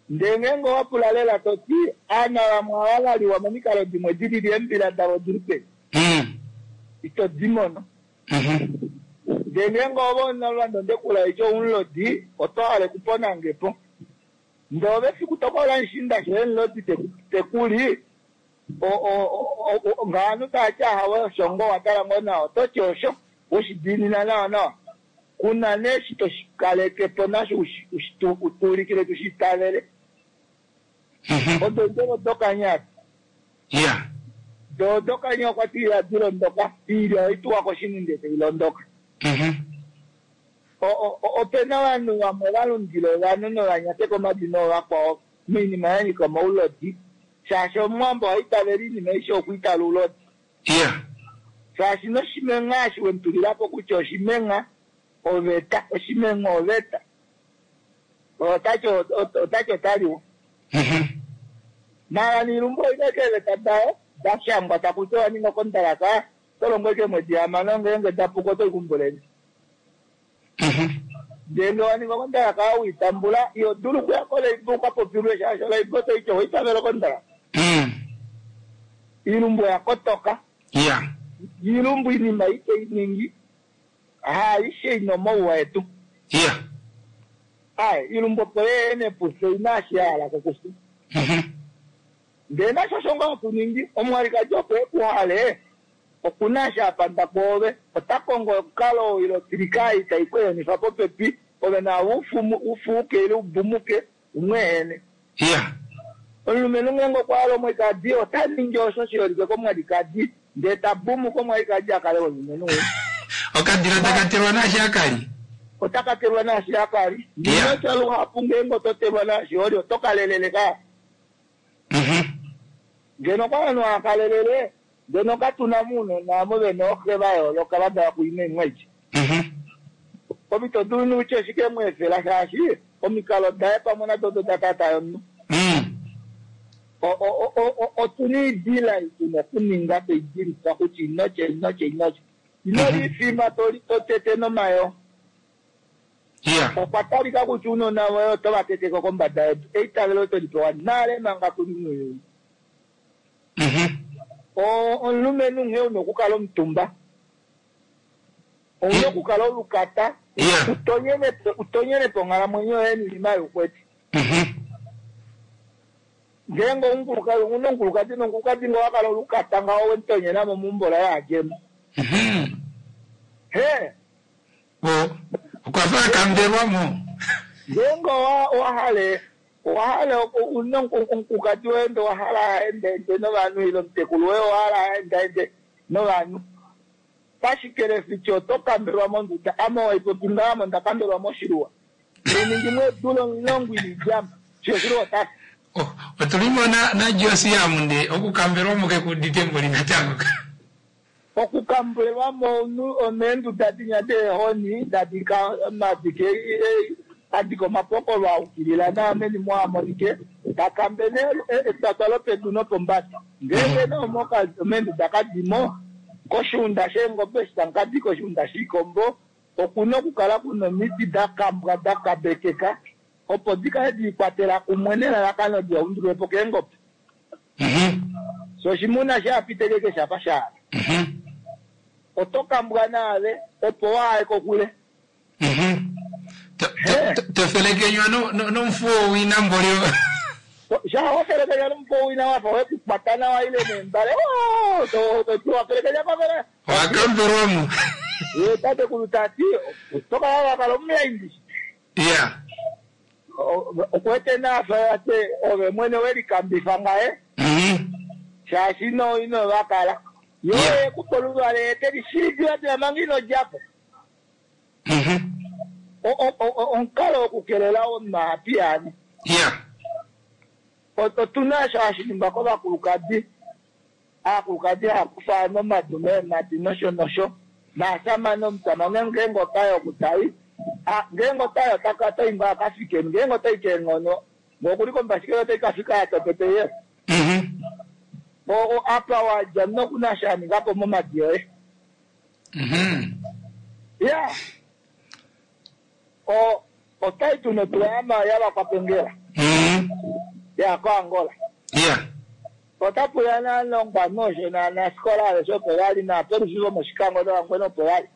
Ndee ngeenge owa pula lela toti aana vamwe ava valiwa momikalo dimwe dilili eembila davo dili peni Mm. ito di mono. Mhm. Ndee ngeenge ove omunalwando ndekula eki oumulodi oto hale okuponange po. Ndee ove efiku tokola mushiinda shoye omulodi teku- tekuli o- o- o- o- ngaanhu taati ahawe osho ngoo watala ngoo nawa ototi osho weshidiinina nawa nawa. Kuna nee eshi toshikaleke po nasho ushi- ushi- tu- tuulikile tushi itavele. Mhm. Odo eendjovo dokanya Yeah. do dokanya okwa ti ihadi londoka iilya oituwa koshini ndee tai londoka. Mhm. O- o- o- opena ovanhu vamwe va lundila ovanhu novanyateka omadina oovakwao moinima ya nyika omaulodi shaashi omuwambo ohaitavele iinima aishe okwiitala oulodi. Yeah. Shaashi noshimengha eshi wemutulilapo kutya oshimengha oveta, oshimengha oveta otati otati otaliwa. Mhm. Mala niilumbu oina eeveta dayo dashangwa takuti owaninga okondalaka oto longo ashike eemwedi hamano ngeenge dapuka oto ikumbuleni. Mhm. Ndee ngee waninga okondalaka owiitambula iho dulu okuya koleiba ukapopilwe shaashi oleiba otoiti owaitavela okondalaka. Mm. Iilumbu oya kotoka. Yeah. Iilumbu iinima ite iningi haaishe ina omauwa etu. Yeah. Aye iilumbu opo yeene pufye ina eshi yahala kokufya. Mhm. Ndee nasho osho ngoo hatu ningi omwalikadi opo ekuhale okuna eshi apanda kwoove ota kongo omukalo ile otilika ei tai ku ehenifa popepi ove naave ufumu- ufuuke ile ubumuke umweehene. Yeah. Omulumenhu ngeenge okwa hala omwalikadi ota ningi osho shiholike komwalikadi ndee tabumuka omwalikadi akale womulumenhu ou. Okadila takatelwa naashi akali. Ota katelwa naashi akali. Yeah. Ndinotya luhapu ngeenge oto telwa naashi oli oto kalelele ka. Mhm. Ngeno okwa vanhu haakalelele ngeno katuna muunona amo vena ooxe va yooloka va dala kuima eemwedi. Mhm. Ove ito dulu nokutya oshike mweefela shaashi omikalo daye pamwe nado odo da tata yomunhu. O- o- o- otuna iidila tuna okuninga toidilifa kutya inotya inotya inotya ino lifima toli totete nomayo Yeah. okwa talika kutya uunona woye oto va teteko kombada yedu eitavelo to li pewa nale manga tuli muuyuni Mhm. O- omulumenhu nghee una okukala omutumba ouna okukala olukata Yeah. utonyene utonyene po onghalamwenyo yoye niinima youkweti Mhm. ngeenge omukulukadi una omukulukadi nomukulukadi ngo wakala olukata ngaho wemutonyena mo mumbola yaadjemo Mhm. he O, okwa fa akambelwa mo. ngeenge owa- owahale owahale una omukulukadi woye nde owahala aendaende novanhu ile omutekulu woye owahala aendaende novanhu pashikelefichi oto kambelwa monduda ame waipopi ngaamo onda kambelwa moshiluwa eningi mweedula omulongo ilijama shoshiluwa otasi Oh, otulimo na na Josia munde okukambelwa mo kekudite mboli natango. okukambelwa mo omeenduda dinya deehoni dadika madike adika omapokolo aukilila naameni mwamonike takambe ne etwatwa lopedu nopombada ngeenge noomoka omeenduda kadimo koshiunda sheengobe shitankadi koshiunda shiikombo okuna okukala kuna omiti dakambwa dakabekeka opo dikale diikwatela kumwe nelalakano diyaundulwepo keengobe Mhm. so oshimuna shapitekeke shafa shaala Mhm. oto kambwa naave opo waaye kokule Mhm. To- to- to- Tofelekenywa no no nomfuwo wina mboli. shawafelekenya nomupo wina wafa wekukwata nawa ile nembale wafelekenywa kwafele Wakambelwa mo. ye tatekulu tati otokala wakala omulaindi Yeah. okuwete naafa ate ove mwene welikambifa ngaye Mhm. shaashi ino ino vakala yo Yeah. ekupa oluvale ete lishiidilatila manga ino djapo Mhm. O- o- o- omukalo wokukelela omapiyaani Yeah. otuna osho hashi ningwa kovakulukadi aakulukadi haakufa nomadu meemadi nosho nosho naasamane omusamane ngeenge otayi okutayi a- ngeenge otayi otaka otayi ngoo akafikeni ngeenge otayi keenghono ngokuli kombashikelo otayi kafika yatopete ye Mhm. o apa wadja nokuna sha ningapo momadi yoye Mhm. ya o otayi tuna otula yama yavakwapengela Mhm. ya koangola Yeah. otapuya naalongwa nosho naanasikola aveshe opo vali naapolisi vomoshikango novangwena opo vali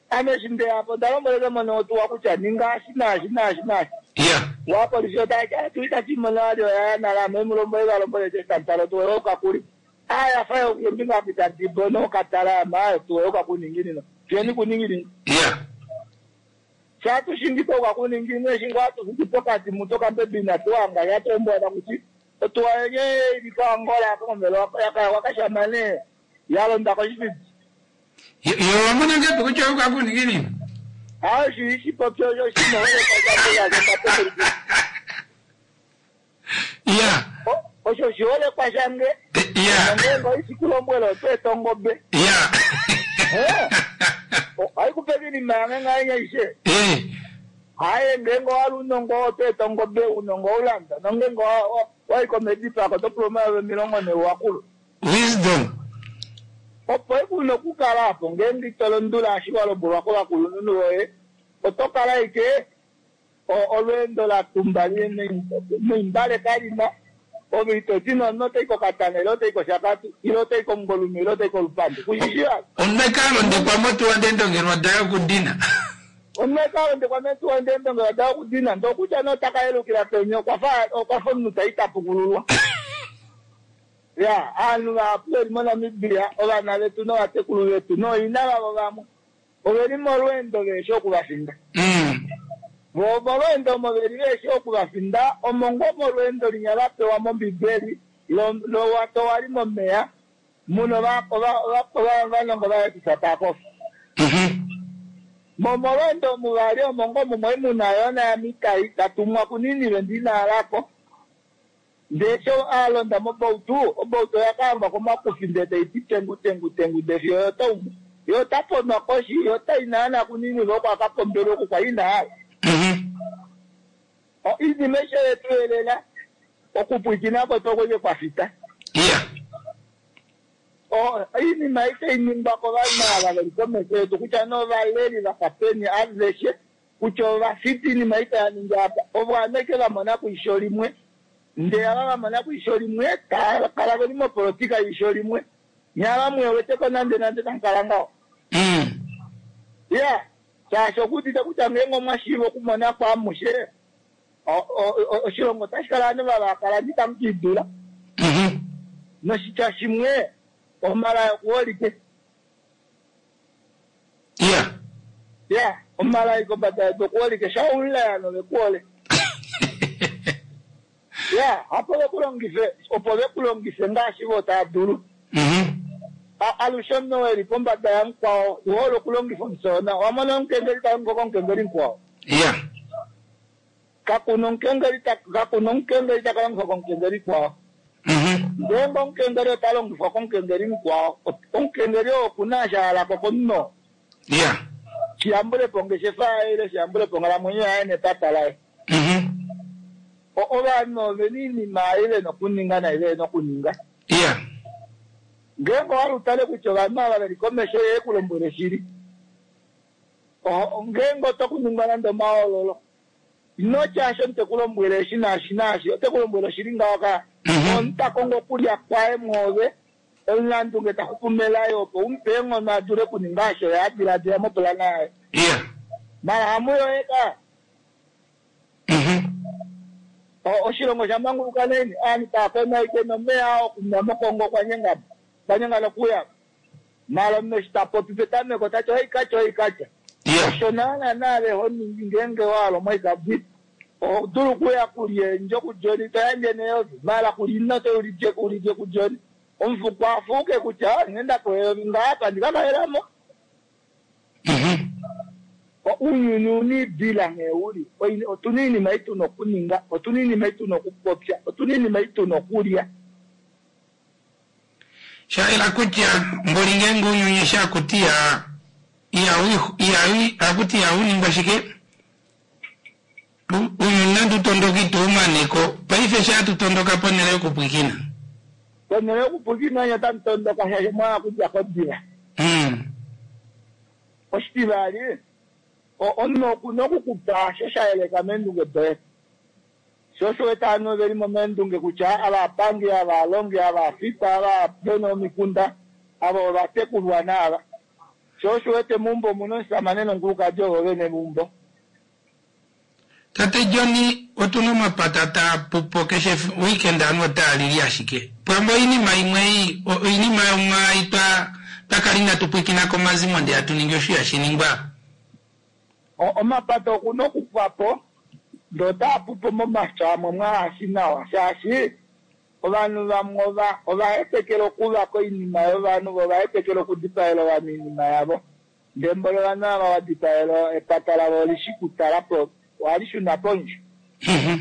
ame eshi ndeyapo onda lombwelele mone otuwa kutya ninga ashi naashi naashi naashi Yeah. wapolisi otati tuitachimona vali oyaya nale ame mulombwele valombwele tantalo tuwe okakuli aya fa yombinga apita dibo nokatala ama tuwe okakuninginino tuyeni kuninginino Yeah. shatushingipo kwakuningino eshingo atufiki pokati muto kambebina tuwanga yatombwana kuti otuwa yenye ili koangola kombelo wakashamane yalonda koshipidi Yo yo wamona ngapi kutya ukakuningini? ayo shishipopyo osho Yeah. osho shiholekwa shange Yeah. nongengo isikulombwela otweeta ongobe Yeah. haikupeka inima yange ngayenye ishe Eh. haye ngengo wali unongo otweeta ongobe unongo ulanda nongengo waikomedipako topuloma milongo ne wakulu Wisdom. opo ekuna okukala apo ngeenge itolondula ashi walombwelwa kovakulunhu voye oto kala ike o- olweendo latumba noimbale kalina ove itoti nono otai kokatana ile otai koshakati ile otai komungolume ile otai kolupandi kushishiwa Omekalo ndekwa motuwa ndendongelwa dayo kudina. omunekalondekwa metuwa ndendongelwa daa kudina ndokutya notaka yelukila peni okwafa okwafa omunhu taitapukululwa ya aanhu vahapu veli monamibia ovana vetu novatekulu vetu nooina vavo vamwe oveli molweendo veeshi okuvafinda Mm. vo molweendo omo veli veeshi okuvafinda omo ngoo molweendo linya vapewa mombibeli lo- lowato wali momeya muno va- ova- ova- ova- ovanongo vaetisa taakofa Mhm. mo molweendo muvali omo ngoo mumwe muna yona yamitai tatumwa kuninive ndinaalako ndee sho alonda mobautu obautu oyakahangwa komakufi ndee taiti tengu tengu tengu ndee fiyo yotaumwe yo taponwa koshi yo tainaana kuninive oko akapombelwa oku kwa inaala Mhm. iinima esho yetu elela Okupwiikina kwetu okweke kwafita. Iya. O- Oinima itai ningwa kovanhu ava veli komesho yetu kutya novaleli vafa peni aveshe kutya ovafiti iinima itaya ningi apa ovo aneke vamona kwisho limwe ndee ava vamona kwisho limwe tava kala veli mopolotika yisho limwe nyava mweweteko nande nande tamukala ngaho. Mm. Ya, shaashi okuudite kutya ngeenge omwa shiiva okumona kwamushe o- o- o- oshilongo otashi kala ovanhu vavakala itamu kiidula. Mhm. Noshitya shimwe omalai okuholike. Iya. Ya, omalai kombada yedu okuholike shaulaya novekuhole. Ya, hapo vekulongife opo vekulongife ngaashi vo tava dulu. Mhm. A- Alushe omunhu eli pombada yamukwao uhole okulongifa omusona. Wamona omukengeli talongo komukengeli mukwao. Iya. Kakuna omukengeli ta- kakuna omukengeli taka longifwa komukengeli kwao. Mhm. Ngeenge omukengeli ota longifwa komukengeli mukwao, omukengeli oo okuna eshi a halako komunhu. Iya. Shiyambulepo ongeshefa yaye ile shiyambulepo onghalamwenyo yaye nepata laye. Mhm. O- Ovanhu ovena oinima ei vena okuninga nai vena okuninga. Iya. Ngeenge owa utale kutya ovanhu ava veli komesho ye kulombwele shili. O- Ngeenge oto kuningwa nande omahoololo. Ino tya asho omuntu tekulombwele eshi naashi naashi, ote kulombwele oshili ngaho ka. Mhm. Omuntu ta kongo okulya kwaye mwoove, omulandunge ta xupu melaye opo umupe eenghono a dule okuninga osho ye a diladila mopulana yaye. Iya. Mala hamuyoye ka. Mhm. O- Oshilongo sha manguluka neni, aantu taya konaike nomeya okunwa mokongo okwa nyengana. Okwa nyengana okuya. Mala omunhu eshi ta popi petameko tati ohaikatya ohaikatya. Iya. Osho naana naave ho ningi ngeenge wa hala omoikabi. Oho dulu okuya kulya eendjo kuJoni to yandje neyovi. Mala kulya to ulye ulye kuJoni. Omufuko afuuke kutya "Ah, nghee ndapewa eyovi ngaapa ndikakahelamo. Mhm. O- Ounyuni una iidila nghee uli. Oi- Otuna oinima ei tuna okuninga, otuna oinima ei tuna okupopya, otuna oinima ei tuna okulya. Shaela kutya mboli ngeenge ounyuni eshi akuti ya ihawu ihawu akuti ihawu shike U- ounyuni nande utondoka ituumaneko paife eshi hatu tondoka ponhele yokupwikina. Ponhele yokupwikina onye otamu tondoka shaashi omwa okudja kodila. Mm. Oshitivali, o- omunhu okuna okukupa osho sha yeleka meendunge doye. Sho osho wete ovanhu veli mo meendunge kutya ava apangi, ava alongi, ava afita, ava vena omikunda, ava ovatekulwa naava. Sho osho wete meumbo omuna omusamane nomukulukadi ovo vene meumbo. Tate John otuna omapata taa pupo keshe weekend ovanhu otaa lili ashike. Pwamwe oinima imwe ei, o- oinima yomwaai twa twakala inatu pwikina komazimo ndee hatu ningi osho ihashi ningwa. O- Omapata okuna okupwa po ndee otaa pupo momapya amwe mwaashi nawa shaashi ovanhu vamwe ova ovahetekela okuvaka oinima yovanhu vo ovahetekela okudipaela ovanhu oinima yavo. Ndee mboli ovanhu ava vadipaela epata lavo olishi kutala po ohali shuna pondje. Mhm.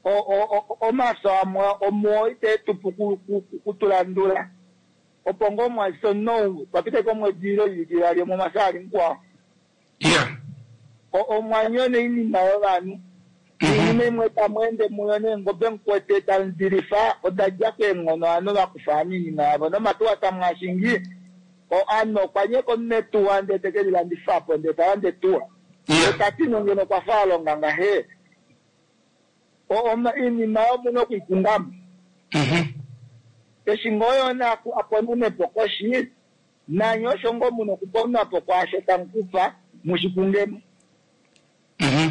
O- o- o- Omafyo amwe omuo iteetupu ku- ku- ku- kutulandula opo ngoo mwalisa omunhu papita ike omwedi ile oivike ivali omwe omwafya ali mukwao. Iya. O- omwanyona oinima yovanhu. Iinima imwe tamu ende muyo neengobe mukwete tamu dilifa oda dja keenghono ovanhu vakufa ovanhu oinima yavo nomatuwa tamu ashingi o- ovanhu okwa nyeka omunhu etuwa ndee teke lilandifa po ndee talande etuwa. Iya. Tati nongeno okwa fa alonga ngahe. O- oma- Iinima omuna okuikungamo. Mhm. Eshi ngoo yona aku- aponenepo koshi nanye osho ngoo muna okuponapo kwaasho tamukufa mushikungemo. Mhm.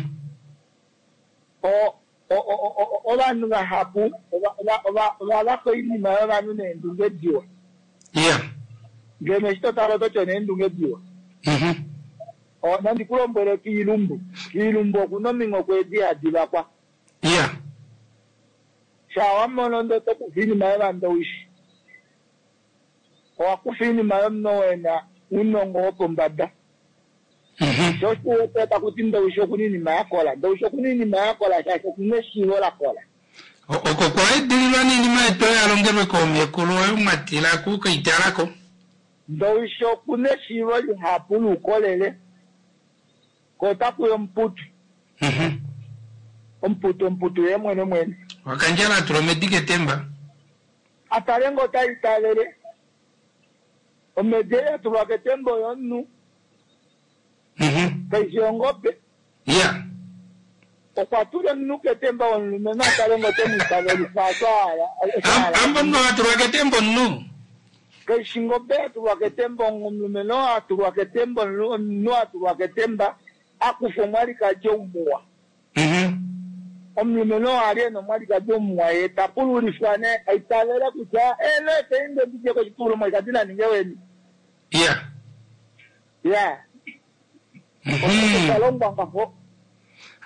O- o- o- o- ovanhu vahapu ova- ova- ova- ovavaka oinima yovanhu neendunge diwa. Iya. Ngeno eshi totala ototi oneendunge diwa. Mhm. O, nandi kulombwele kiilumbu. Kiilumbu okuna ominghoko edi hadi vakwa. Iya. Sha wamono ndee otokufa oinima yovandowishi. Owakufa oinima yomunhu wena ounongo wopombada. Mhm. Sho osho uwete takuti ndowishi okuna oinima yakola. Ndowishi okuna oinima yakola shaashi okuna eshiivo lakola. O- Oko kwaedililwa niinima yetu oyo yalongelwe koomekulu oyo mwatila kukaitalako. Ndowishi okuna eshiivo lihapu loukolele. Ko otakuya omuputu. Mhm. Omuputu omuputu ye mwene mwene. Wakandjala atula omedi ketemba. Atale ngoo ota itavele. Omedi ei yatulwa ketemba oyomunhu. Mhm. Kaifi ongobe. Ya. Okwa tula omunhu ketemba womulumenhu atale ngoo ote mu itavelifa osho a hala. Osho a hala. Amba omunhu atulwa ketemba omunhu. Kaifi ngobe yatulwa ketemba omulumenhu oo atulwa ketemba omunhu atulwa ketemba akufa omwalikadi oumuwa. Mhm. Omulumenhu oo ali ena omwalikadi omuwa ye ta pululifwa ne aitavele kutya eno efeinde ndidje koshipululo omwalikadi naninge weni. Ya. Ya. Mhm. Osha longwa ngaho.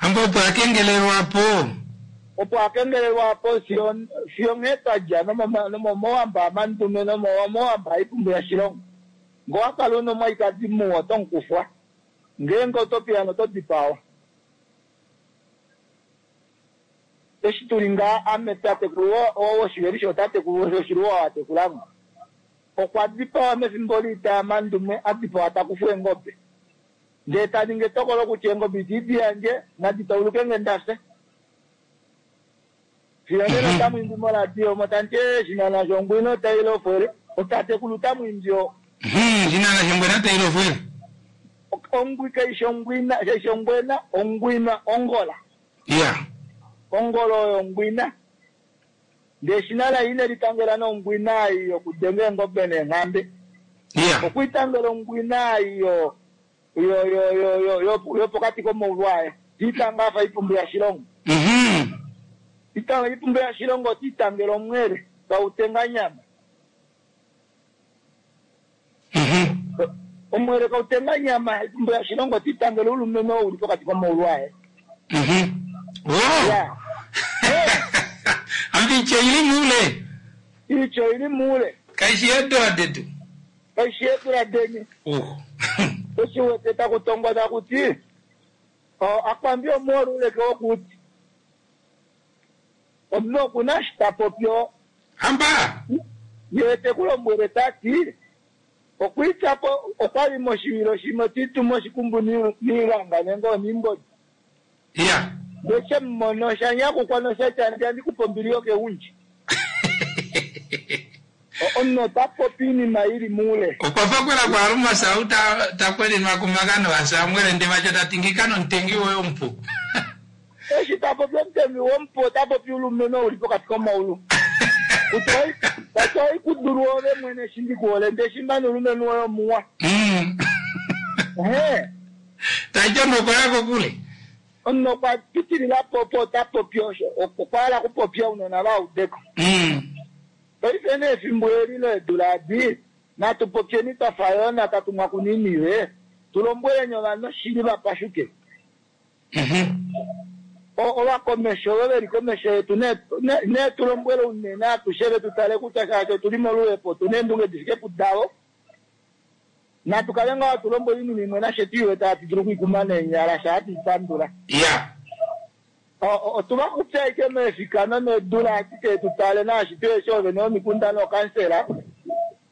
Amba opo akengelelwa po. Opo akengelelwa po fiyo fiyo nghee twadja nomomowamba amandume nomomowamba aipumbu yashilongo. Ngoo wakala una omwalikadi muwa oto mukufwa. Ngeenge oto piyana oto dipawa. Eshi tuli ngaa ame tatekulu woshiveli shotatekulu woshiluwa watekulamo. Okwa dipawa mefimbo liita yamandume adipawa takufwa eengobe. Ndee taningi etokolo kutya eengobe itidi yandje nadi tauluke nge ndafye. Fiyo nena otamu imbi moradio omo tamuti ee shinana shongwina otai lofwele. Otatekulu tamu imbi oo. Mhm. Shinana shongwena tai lofwele. Ongwi kaishi ongwina kaishi ongwena ongwina ongola. Ya. Ongolo oyo ongwina. Ndee shinana ine litangela nongwina ei yokudenga eengobe neenghambe. Ya. Okwitangela ongwina ei yo yo yo yo yo yo yopokati komaulu aye. Tiitanga afa ipumbu yashilongo. Mhm. Itanga ipumbu yashilongo tiitangela omwele kautenga nyama. Mhm. Omwele kautenga nyama ipumbu yashilongo tiitangela ulumenhu oo uli pokati komaulu aye. Mhm. Oh. Ya. Eh, Ambi ityo ili mule. Ityo ili muule. Kaishi eedula detu. Kaishi eedula deni. Oh. Eshi wete takutongwa takuti akwambi omuoluleke wokuti omunhu okuna eshi tapopi oo. Amba. Ye tekulombwele tati okwiityapo okwali moshivilo shimwe tiituma oshikumbu niilanga nenge oniimbodi. Ya. Ndee shemumono oshanyakukwa noshatya ndi andikupa ombili yokeundji. Omunhu ota popi iinima ili muule. Okwa fakwela kwaluma sau ta takwelinwa kumakano aSamuel ndevacho tati nomutengi woye omupu. Eshi tapopi omutengi womupu ota popi ulumenhu uli pokati komaulu. Kutya oikudulu ove mwene eshi ndikuhole ndee shimba nolumenhu woye omuwa. Mm. Ehe. Tacho nokoya kokule. Omunhu okwa pitilila po opo ota popi osho. Okwa hala okupopya ounona vaudeko. Mm. Paife nee efimbo eli leedula adi natu popyeni twafa yona tatumwa kuninive tulombweleni ovanhu oshili vapashuke. Mhm. Ovakomesho ovo veli komesho yetu ne tulombwele unene atushe vetu tale kutya shaashi otuli moluhepo otuna eendunge difike pudavo. Natu kale ngaho tulombwele oinima imwe nashe tuiwete hatu dulu okuikuma neenyala sha hatu ipandula. Ya. Otuva kupya ashike meefikano needula ashike tutale naashi tuyeshi ovene vomikunda nookansela.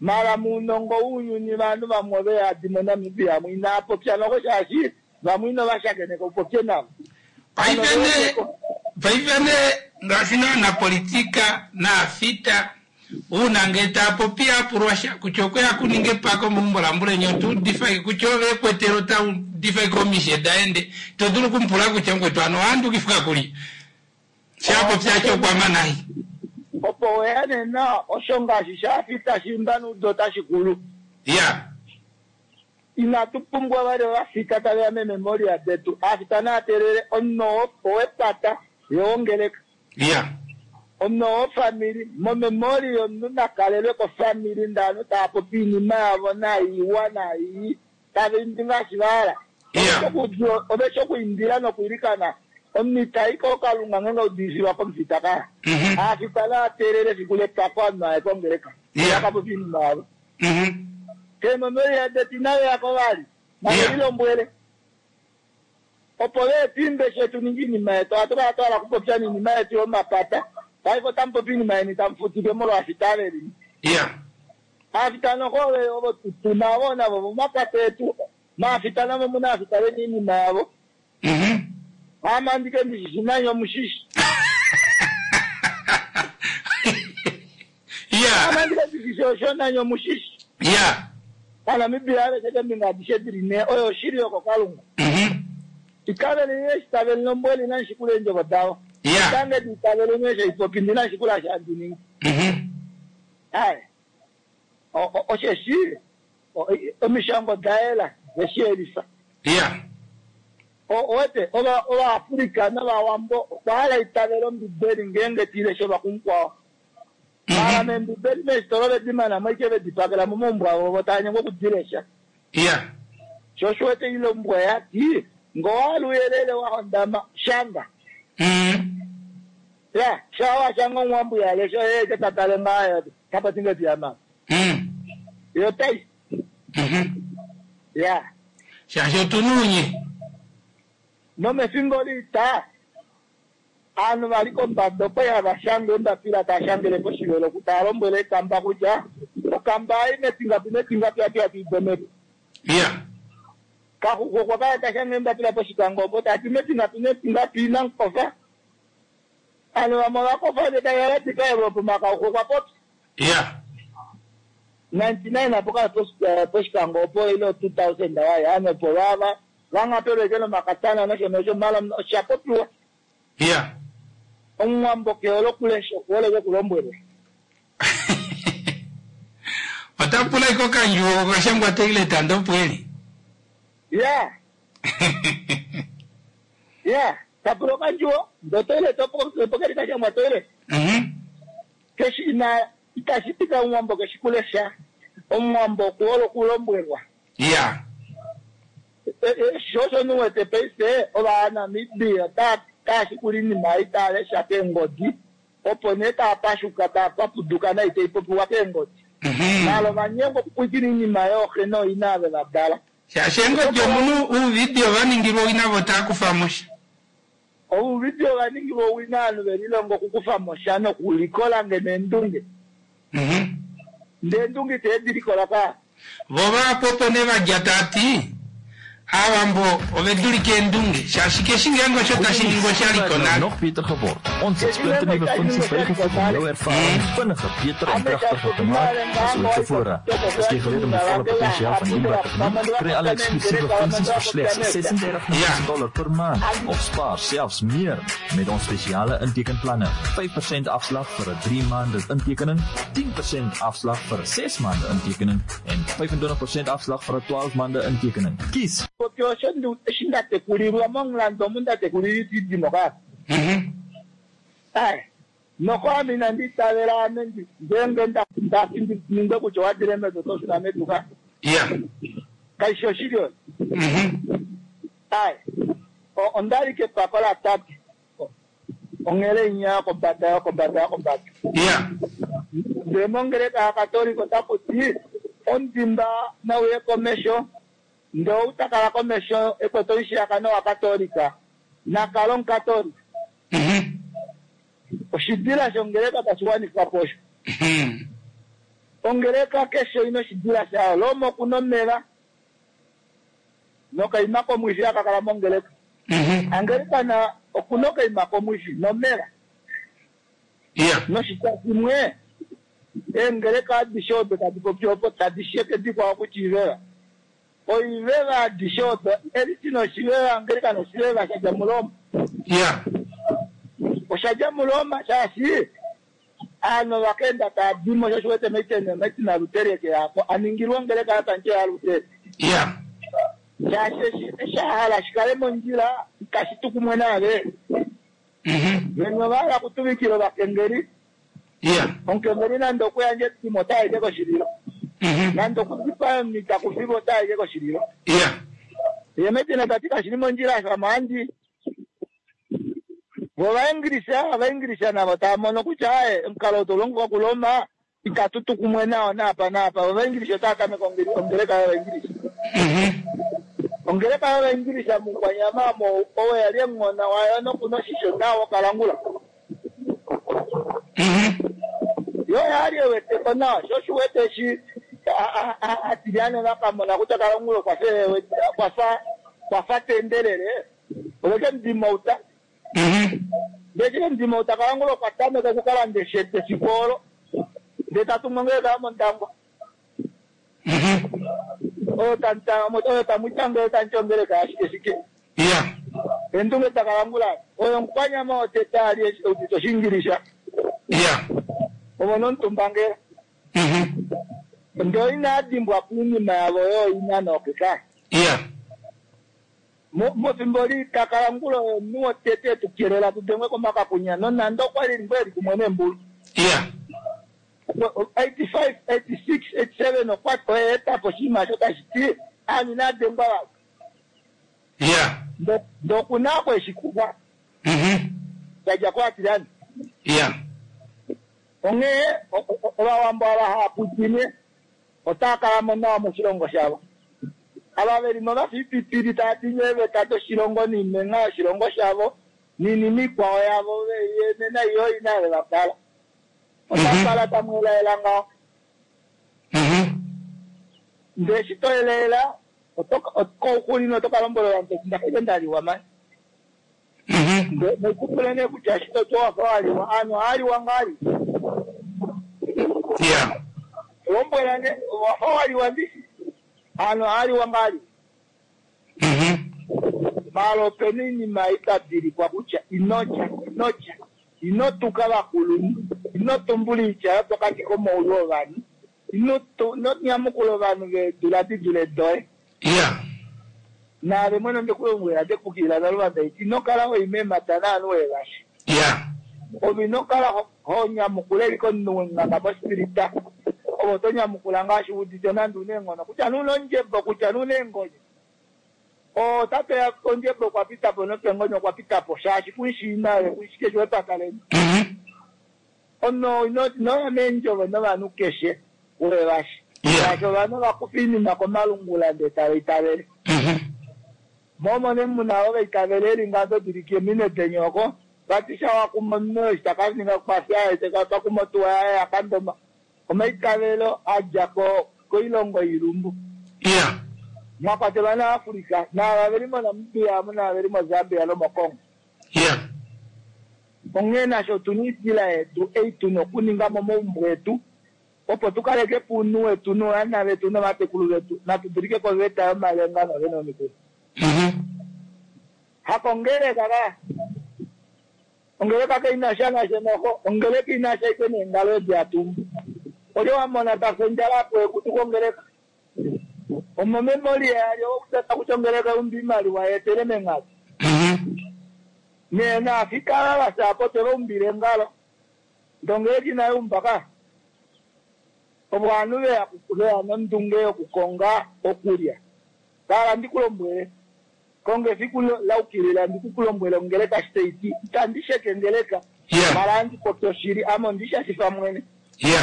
Mala muunongo wounyuni vanhu vamwe ove yadi moNamibia mwe inaapopya noko shaashi vamwe inovashakeneka upopye navo. Paife nee paife nee ngaashi naanapolitika naafita uuna ngee taapopi apulwa sha kutya okweya kuninga epako meumbo lambulenye otuudifa kutya ove ekwetelo otaudifa ike omishe daende to dulu okumupula kutya mukwetu ano owaandukifwa kuli shapopya acho okwama nai. Opo weya nena osho ngaashi shaafita shimba nuudo otashi kulu. Ya. Inatu pumbwa vali ovafita taveya mememoria detu. Aafita naatelele omunhu owepata yowongeleka. Ya. Omunhu wofamili momemori yomunhu nakalelwe kofamili ndaanhu taapopi iinima yavo naiwa naii tava imbi ngaashi vahala. Oveshi okuimbila nokwiilikana omunhu itayi kookalunga ngeenge audiifilwa komufita kaya. Mhm. Aafita naatelele efiku lepako ovanhu aye kongeleka. Ya. Vakapopi iinima yavo. Mhm. Keememoria detu inaveyako vali. Navelilombwele. Opo veetimbe shetu ningi iinima yetu ohatu kala twahala okupopya niinima yetu yomapata. Paife otamupopi iinima yeni tamufutike molwaafita avelini. Ya. Aafita noho ovo tuna vo navo vomapata etu. Maafita navo muna aafita vena iinima yavo. Mhm. Amandike ndishishi nanye omushishi. shi osho nanye omushishi Ya. Aanamibia aveshe keembinga adishe dili ne oyo oshili yokokalunga Mhm. itaveli eshitaveli nombweli nanshikula eendjovo davo Ya. tange diitaveli mesho ipopi ndi nanshikula shi handi ningi Mhm. aye O- o- osheshi o- i- omishango daela deshiyelifa Ya. owete ova ovaafrika novawambo okwa hala itavela ombibeli ngeenge tiileshe vakumukwawo mala membibeli meesitola vedimana moike vedipakela momaumbo avo vo tava nyengwa okudilesha Ya. sho osho wete ilombwa yati ngowahala uyelele wahondama shanga Mhm. ya shawa shanga omuwambo yalesha eke tatale ngayo tapatingeti yamama Mhm. yo tai Mhm. ya Shaashi otunuunye. nomefimbo liita aanhu vali kombada opo hava shange embapila tava shangele poshivelo tava lombwele ekamba kutya okamba ai metingapi metingapi ati atiidomeko Ya. kaxuku okwa kala ta shange embapila poshikango opo tati metingapi metingapi inankofa aanhu vamwe ovakofa nde tavalatika evopo makauku okwa popya Ya. ninety nine apo kala poshikango opo ile two thousand waye ano opo vava vangapelweke nomakatana nosho nosho mala osha popiwa Ya. omuwambo kehole okulesha okuholeke okulombwelwa Ota pula iko kandjuwo okashangwa toilet andopo eli. ya ya tapula okandjuwo ndo toilet opo keli kashangwa toilet Mhm. keshi ina itashi tika omuwambo keshi kulesha omuwambo okuhola okulombwelwa Ya. E- e, sho osho niwete paife ovanamibia taa shikula iinima ei taa lesha keengodi opo nee taa pashuka taa papuduka nai taipopiwa keengodi Mhm. nalo ovanyengwa okupwikina iinima yooxe nooina ave vadala Shaashi eengodi omunu uuvidio vaningilwa owina vo taa kufa mo sha. ouvidio vaningilwa owina ovanhu velilongo okukufa mo sha nokulikola ngeno eendunge Mhm. ndee eendunge iteedi likola ka Vo vapopo ne vadja taati Aawambo ove dulike eendunge shaashi keshi ngeenge osho tashi ningwa osha liko nou nale. nog beter geword. Ons het splinternuwe funksies bygevoeg om jou ervaring vinniger, beter en krachtiger te maak as ooit tevore. Is jy gereed om die volle potensiaal van Inback te geniet? Kry alle eksklusiewe funksies vir slegs sesendertig dollar per maand of spaar selfs meer met ons spesiale intekenplanne. vyf persent afslag vir 'n drie maande intekening, tien persent afslag vir 'n ses maande intekening en vyf-en-twintig persent afslag vir 'n twaalf maande intekening. Kies Popi osho ndu- eshi ndatekulilwa momulando omu ndatekulilwa itidimo ka Mhm. aye noko ame inandi itavela ame ndi- ngeenge nda- ndafi ndi- ningwe kutya owadile medu oto shuna medu ka Ya. kaishi oshili oyo Mhm. aye O- ondali kepako latate O- onghele inya yokombada yokombada yokombada Ya. ndee mongeleka yakatolika otaku ti omudimba nauye komesho ndee ou takala komesho ekwete omushiyakano wakatolika nakala omukatolika Mhm. oshidila shongeleka tashi wanifwa po osho Mhm. ongeleka keshe ina oshidila shayo loma okuna omeva nokaima komwifi akakala mongeleka Mhm. angelikana okuna okaima komwifi nomeva Ya. noshitya shimwe eengeleka adishe odo tadi popi opo tadi sheke dikwao kutya iveva oiveva adishe odo eliti noshiveva angelika noshiveva shadja muloma Ya. oshadja muloma shaashi aanhu vakaenda taadimo sho shiwete meitene maitina lutereke yako aningilwa ongeleka yapanje yalutere Ya. shaashi eshi- eshi ahala shikale mondjila itashi tu kumwe nave Mhm. vemwe vahala kutuvikila ovakengeli Ya. omukengeli nande okuyandja etimo otaike koshililo Mhm. nande okudipaya omunhu itakufiwa otaike koshililo Ya. ye metina tati kashili mondjila shamandi vo vaingilisa ovaingilisa navo tava mono kutya aye omukalo ou taulongifwa kuloma itatu kumwe nao naapa naapa vo vaingilisa otava tameke ongeli- ongeleka yovaingilisa Mhm. ongeleka yovaingilisa mukwanyama omo owo yali emung'ona wayo nokuna oshisho nawo kalangula Mhm. yo yali eweteko nawa sho shiwete eshi a- a- a- atilyane vakamona kutya kalangula okwafa ewete- okwafa kwafa tendelele oveke mudimauta Mhm. ndeci ke mudimauta kalangula okwa tameka okukalanda eshete efiku olo Ndee tatungu ongeleka yomOndangwa. Oyo tamu- oyo tamwitange tamuti ongeleka yashike shike. Iya. Endunge takalangula oyo omukwanyama wotete ali eudite oshingilisha. Iya. Omo nomutumbangela. Ndee inaa dimbwa kuinima yavo yooina nookeka. Iya. Mefimbo liitakalangula oyo omunhu wotete etukelela tudengwe komakakunya nonande okwali ngoo eli kumwe neembulu. Iya. Eighty five, eighty six, eighty seven okwa oye eta po oshinima osho tashi ti aanhu inaa dengwa vali. Iya. Ndee okuna oko eshi kufa. Yadja koAtirani. Iya. Onghee ovawambo ava hava pwikine otava kala mo nawa moshilongo shavo. Ava veli mo vafa oipipili tava dinye eeveta doshilongo noimengha yoshilongo shavo noinima ikwao yavo nena iyo ina ve vatala. Otava kala tamu elaela ngaho. Ndee eshi to elaela kouxulilo oto ka lombwela ovanhu toti ndafa ndaliwa mani. Noikupule nee kutya eshi toti owafa waliwa aanhu ohaaliwa ngahelipi. Iya. Lombwela ne wafa waliwa ndishi aanhu ohaaliwa ngahelipi. Maala opena oinima itadilikwa kutya inolya inolya ino tuka vakulunhu ino tumbula oitya yopokati komaulu ovanhu ino nyamukula ovanhu veedula didule doye. Iya. Naave mwene ondekulombwela ndekukilila naluvanda iti ino kala hoyi meemata naanhu wevashi. Iya. Ove ino kala ho nyamukula eli komunhu wonganga mospirita. Ove oto nyamukula ngaashi udite nande una eenghono kutya nee una ondjebo kutya nee una eengonyo. Ota peya ondjebo okwa pita po nopengonyo okwa pita po shaashi kumushii naye kumushi keshe wepata leni. Omunhu inoya meendjovo novanhu keshe wevashi. Shaashi ovanhu ovakufa oinima komalungula ndee tava itavele. Mo nee muna ovo vaitavele eli ngaho todilike ominwe deni oko vati sha wakuma omunhu eshi takaninga kwafya takuma otuwa yaye yakandoma. Omaitavelo adja koilongo ilumbu. Iya. Mwakwatelwa naAfrica naava veli moNamibia amu naava veli moZambia nomoCongo. Iya. Onghee nasho otuna oidila yetu ei tuna okuninga momaumbo etu opo tukaleke po ounhu wetu novana vetu novatekulu vetu natu dulike koveta yomalenga novene vomikunda. Hakongeleka ka. Ongeleka kaina sha nasho noho ongeleka ina sha ike neengalo edi hatumbu. Olye wamona tafa ondjala apo ekutu kongeleka. Omo memoria yalyo okutata kutya ongeleka umbi imaliwa yeetele mengalo. Nee naafika vasapo tevaumbile engalo. Ndee ongeleka inayiumba ka. Opo ovanhu veya veya nondunge yokukonga okulya. Kala ndikulombwele. Konga efiku laukilila ndikukulombwele ongeleka eshi taiti. Itandi sheke ongeleka. Maala ohandi popi oshili ame ondishashifa mwene.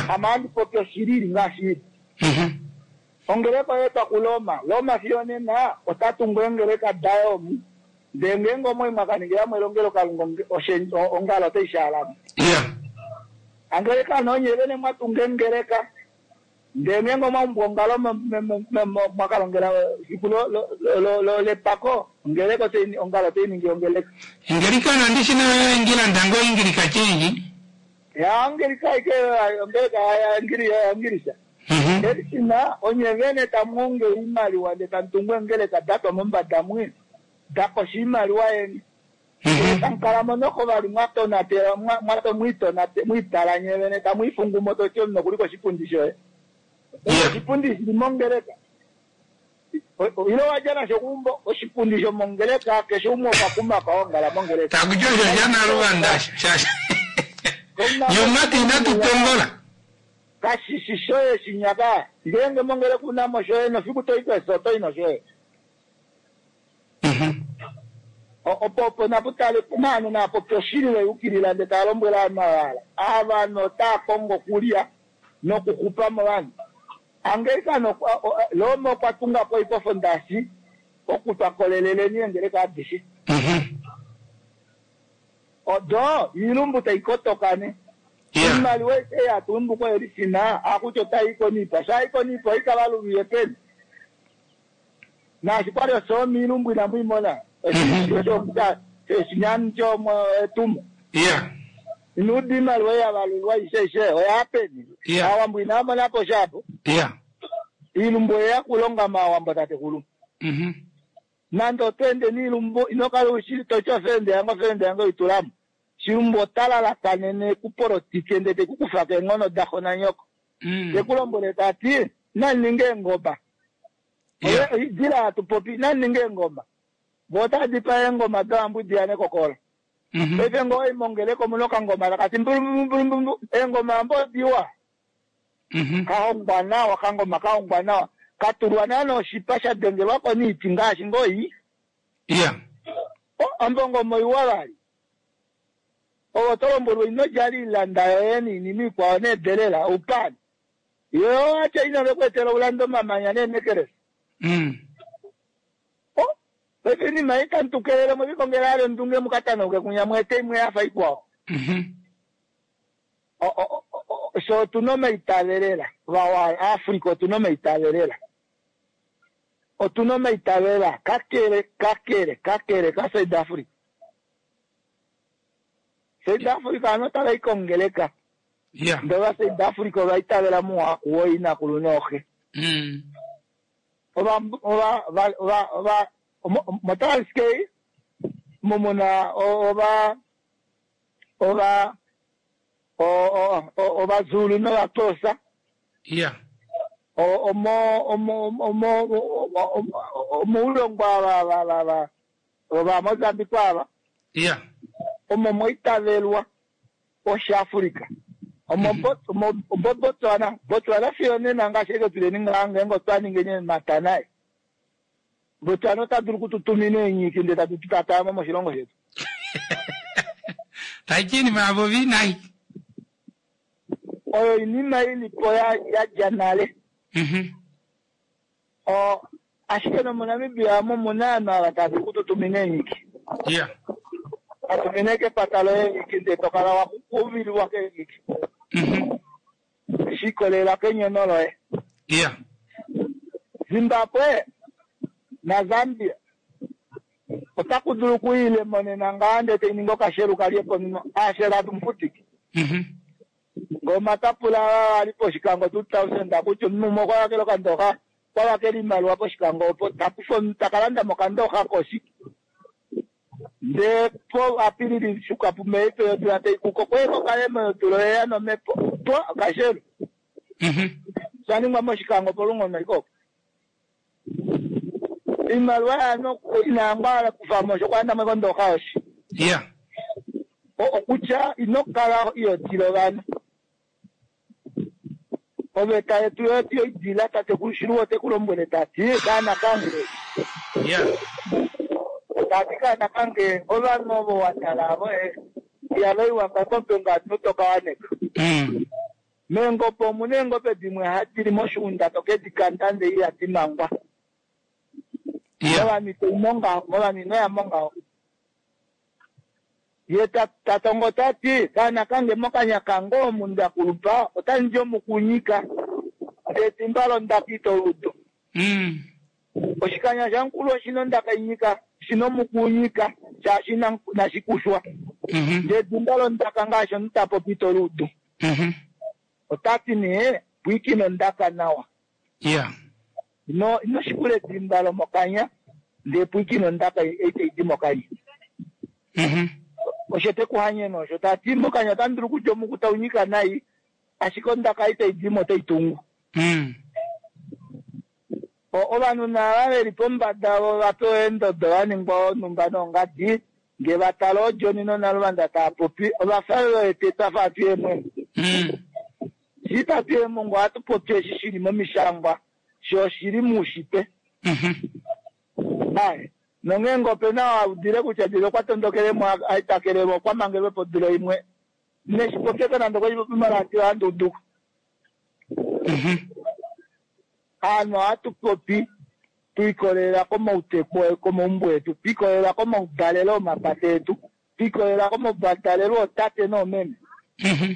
Ame ohandi popi oshili ili ngaashi ili. Ongeleka oyeetwa kuRoma. Roma fiyo onena ota tungu eengeleka daye omu. Ndee ngeenge omwai mwakaningilamo elongelokalunga ongalo otai shaalamo. Angeleka nee onye vene mwatunga engeleka. Ndee ngeenge omwaumbwa ongalo mwakalongela efiku lepako ongeleka ongalo otainingi ongeleka. Engelikana ndishi nayo engilanda ngoo ingilika change. Ya ongeleka ike ongeleka yangilisha. Elishina onye vene tamuongele oimaliwa ndee tamutungu eengeleka datwa mombada mwi dakosha oimaliwa yeni. Ndee tamukalamo noko vali mwatonatela mwiitala nye vene tamwiifungumo toti omunhu okuli koshipundi shoye. Oshipundi shili mongeleka. Ile wadja nasho keumbo oshipundi shomongeleka keshe umwe okwa kumako aongala mongeleka. Takuti osho shanaluvanda shaashi nyomati inatu tongola. Kashishi shoye shinyaka. Ngeenge mongeleka unamo shoye nofiku toi kweso otoi noshoye. Opo opo naputale naanhu naapopi oshili veyukilila ndee tava lombwele ovanhu ava. Ovanhu otava kongo okulya nokuxupa movanhu. Angelikana Roma okwa tunga po oipofondasi okutwa koleleleni eengeleka adishe. Odo iilumbu taikotoka ne. Oimaliwa aishe yatumbu koelishina akuti otai konipa. Shai konipa oikavaluviye peni. Naashi kwali osoomi ilumbu inamuimona. Oshinyani chomo etumo. Iya. Inuuda iimaliwa yavalulwa aishe oya peni. Yeah. Aawambo inaa mona po shapo. Yeah. Iilumbu oyeya kulonga maawambo tatekulu. Mhm. Nande oto ende niilumbu ino kala ushi toti ofende yange ofende yange oitulamo. Shilumbu ota lalakanene kupolotike ndele teku kufa keenghono daxo nanyoko. Mm. Teku lombwele tati nani ninge eengoma. Yeah. Oye- Idila hatu popi nani ninge eengoma. Vo otava dipaa eengoma dovambwidi yanekokola. Mhm. Paife ngoo oimongeleko omuna okangoma takati mbulumbulumbulu eengoma ambo odiwa. Mhm. Kahongwa nawa kangoma kahongwa nawa. Katulwa naana oshipa sha dengelwako niiti ngaashi ngoo Yeah. O, ambo ongoma oiwa vali. Ovo to lombwelwa ino djala iilanda yoye niinima ikwao needelela oupani. Yo atya ina veku etela ulande omamanya neenekelesa. Mm. O, paife iinima ei tamu tu kelele mwevikongela ale ondunge mukatanauke kunya mweete imwe yafa ikwao. Mhm. O- o- o- o- so otuna omaitavelela vawa Africa otuna omaitavelela. Otuna omaitavelela kakele kakele kakele ka South Africa. South Africa ano otava i kongeleka. Yeah. Ndele ova South Africa ova itavela muhaku wooinakulu nooxe. Mm. Ova ova ova ova ova mo- moTranskei mumuna o- ova ova o- o- o- ovaZulu novaXhosa. Yeah. O- omo omo omo omoulongwa ava va va va ova Mozambique ava Yeah. omo moitavelwa oshiAfrica. Omo Bot- omo omo Botswana Botswana fiyo nena ngaashi eke tuleni ngaa ngeenge otwa ningeni matanae. Botswana ota dulu okututumina eenyiki ndele tatu tutatayamo moshilongo shetu. Taiti iinima yavo vinai. Oyo oinima ilipo ya yadja nale. Mhm. O ashike nomoNamibia omo muna ovanhu ava tava dulu okututumina eenyiki. Yeah. Atumine kepata loye eenyiki ndele tokala wa kuvilwa keenyiki. Mhm. Shi ikolelela kenyono loye. Yeah. Zimbabwe naZambia otaku dulu okuyile monena ngaa ndele tai ningi okashelu kalye po ashelu atu mufutike. Mhm. Ngoma tapula ali pOshikango two thousand kutya omunhu umwe okwa vakela okandoxa okwa vakela iimaliwa pOshikango opo takufa omunhu takalanda mokandooxa koshi. Ndee po apilili shuka pumeife yodula taikuka okweeka okalemo yodula oyeya nomhepo twa okashelu. Mhm. Shaningwa mOshikango polungono iko. Iimaliwa yaano inangwa kufamo osho okwalandamo kondooxa yoshi. Yeah. O- okutya ino kala iyotila ovanhu. Oveta yetu yotu yoidila tatekulu Shiluwo oteku lombwele tati kaana kange. Yeah. Tati kaana kange ovanhu ovo watala avo eh, ihava iwa ngakombe ngaashi tokawaneka. Mm. Meengobe omuna eengobe dimwe hadi li moshiunda tokedi kanda ndee ihadi mangwa. Yeah. Movanhu ito mongaho, movanhu inoya mongaho. Ye ta- tatongo tati kaana kange mokanya kange omundu akulupa otandi omukunyika ndee timba londaka ito ludo. Mm. Oshikanya shamukulu oshina ondaka inyika shina omukunyika shaashi ina- inashikushwa. Mhm. Ndee timba londaka ngaashi omuntu tapopi ito ludu. Mhm. Otati nee pwiikina ondaka nawa. Yeah. Ino ino shikula edimba lomokanya ndee pwiikina ondaka ei taidi mokanya. Mhm. Osho tekuhanyena osho tati mokanya otamu dulu kutya omuku taunyika nai ashike ondaka ei taidimo otai tungu. Mm. O- ovanhu naava veli pombada vo vapewa eendodo vaningwa onhumba nongadi ngee vatala oojoni nonaluvanda taapopi ovafa vewete twafa hatu yeemwengo. Mm. Shi tatu yeemongo ohatu popi eshi shili momishangwa sho oshili muushitwe. Mhm. Aye nongeenge opena waudile kutya dile okwa tondokelemo aitakelemo okwa mangelwe podulo imwe neshipopyeko nande okweshipopi moradio ohandi uduko. Mhm. Aanhu ohatu popi twiikolelela komauteku komaumbo etu, twiikolelela komaudalelo omapata etu, twiikolelela komaudalelo ootate noomeme. Mhm.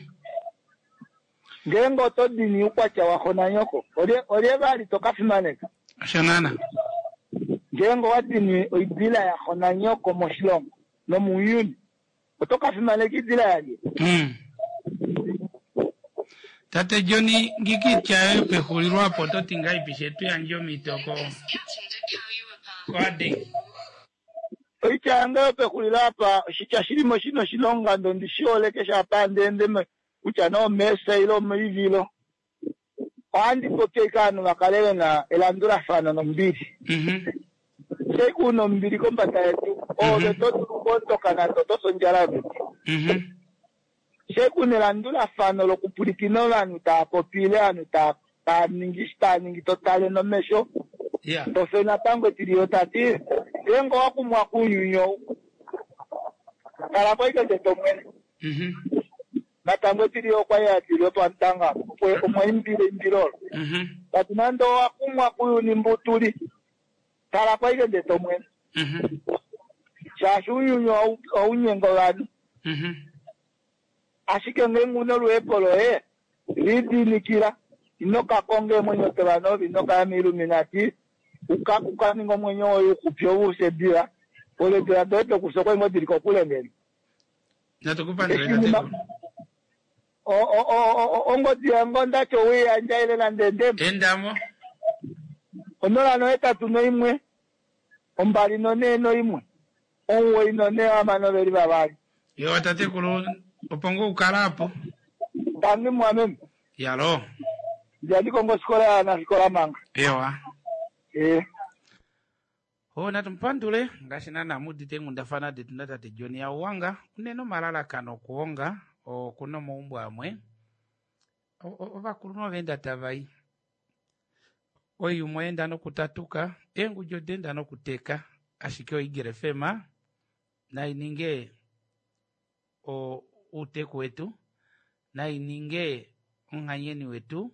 Ngeenge oto dini uukwatya waxo nanyoko olye olye vali toka fimaneka. Osho naana. Ngeenge owa dini oidila yaxo nanyoko moshilongo nomuuyuni Oto ka fimaneka idila yalye. Mm. Tate Johnny ngikitya yoye pexulilo apo oto ti ngahelipi shetu yandje omhito ko koAdeng. Oitya yange yopexulilo apa oshitya shilimo shina oshilonga ndo ndishi hole keshe apa handi ende me- kutya nee omeesa ile omoivilo. Ohandi popi ashike ovanhu va kale vena elandulafano nombili. Mhm. Shei una ombili kombada yedu oove to dulu okuondoka nande oto fi ondjala yomiti. Mhm. Shei kuna elandulafano lokupwilikina ovanhu tava popi ile ovanhu tava tava ningi eshi tava ningi to tale nomesho Yeah. tofe natango etiliyo tati ngeenge owa kumwa kuuyuni ou kala po ashike ndee tomwene. Mhm. Natango etiliyo okwali atile pamutanga opo omwa imbile eimbilo olo. Mhm. Tati nande owa kumwa kuuyuni mbu tuli kala po ashike ndee tomwene. Mhm. Shaashi uuyuni ohau- ohaunyenga ovanhu. Mhm. Ashike ngeenge una oluhepo loye lidiinikila ino ka konga eemwenyo dovanhu ove ino kaya moiluminati uka uka ninga omwenyo woye uxupi ousedila oledila doye dokufya okwali ngoo dili kokule ngeno. Natu kupandule Eshi nima- tatekulu. O- o- o- o- ongodi yange ondati oweiyandja ile nande ndemo Endamo. onola nohetatu noimwe ombali nonee noimwe omuwoi nonee hamano veli vavali. Yo tatekulu opo ngoo ukala apo. Tangi mwameme Yalo. ndiandikonga ofikola yaanafikola manga. Ewa. Ee. O natumupandule ngaashi naana mudite eenghundafana detu natate John Yauwanga unene omalalakano okuhonga okuna omaumbo amwe O- o- ovakulunhu ovaenda tavai oiyuma oyaenda nokutatuka eengudi odaenda nokuteka ashike oEagle F M nai ninge o- outeku wetu nai ninge omuhanyeni wetu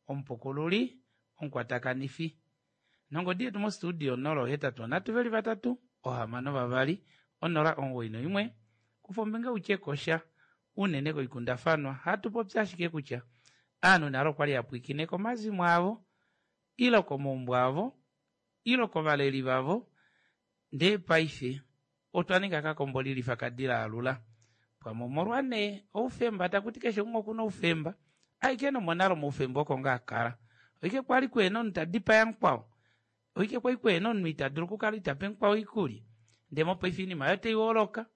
omupukululi omukwatakanifi nongodi yetu mostudio onola ohetatu onhatu veli vatatu ohamano vavali onola omuwoi noimwe kufa ombinga utye kosha unene koikundafanwa hatu popi ashike kutya aanhu nale okwali yapwiikine komazimo avo ile komaumbo avo ile kovaleli vavo ndee paife otwa ninga kakombo lilifa kadila alula pamwe omolwa nee oufemba takuti keshe umwe okuna oufemba aike nomonale omaufemba oko ngaa akala oike kwali kuhena omunhu tadipaya mukwao oike kwali kuhena omunhu ita dulu okukala itape mukwao oikulya ndee mopaife oinima oyo taihooloka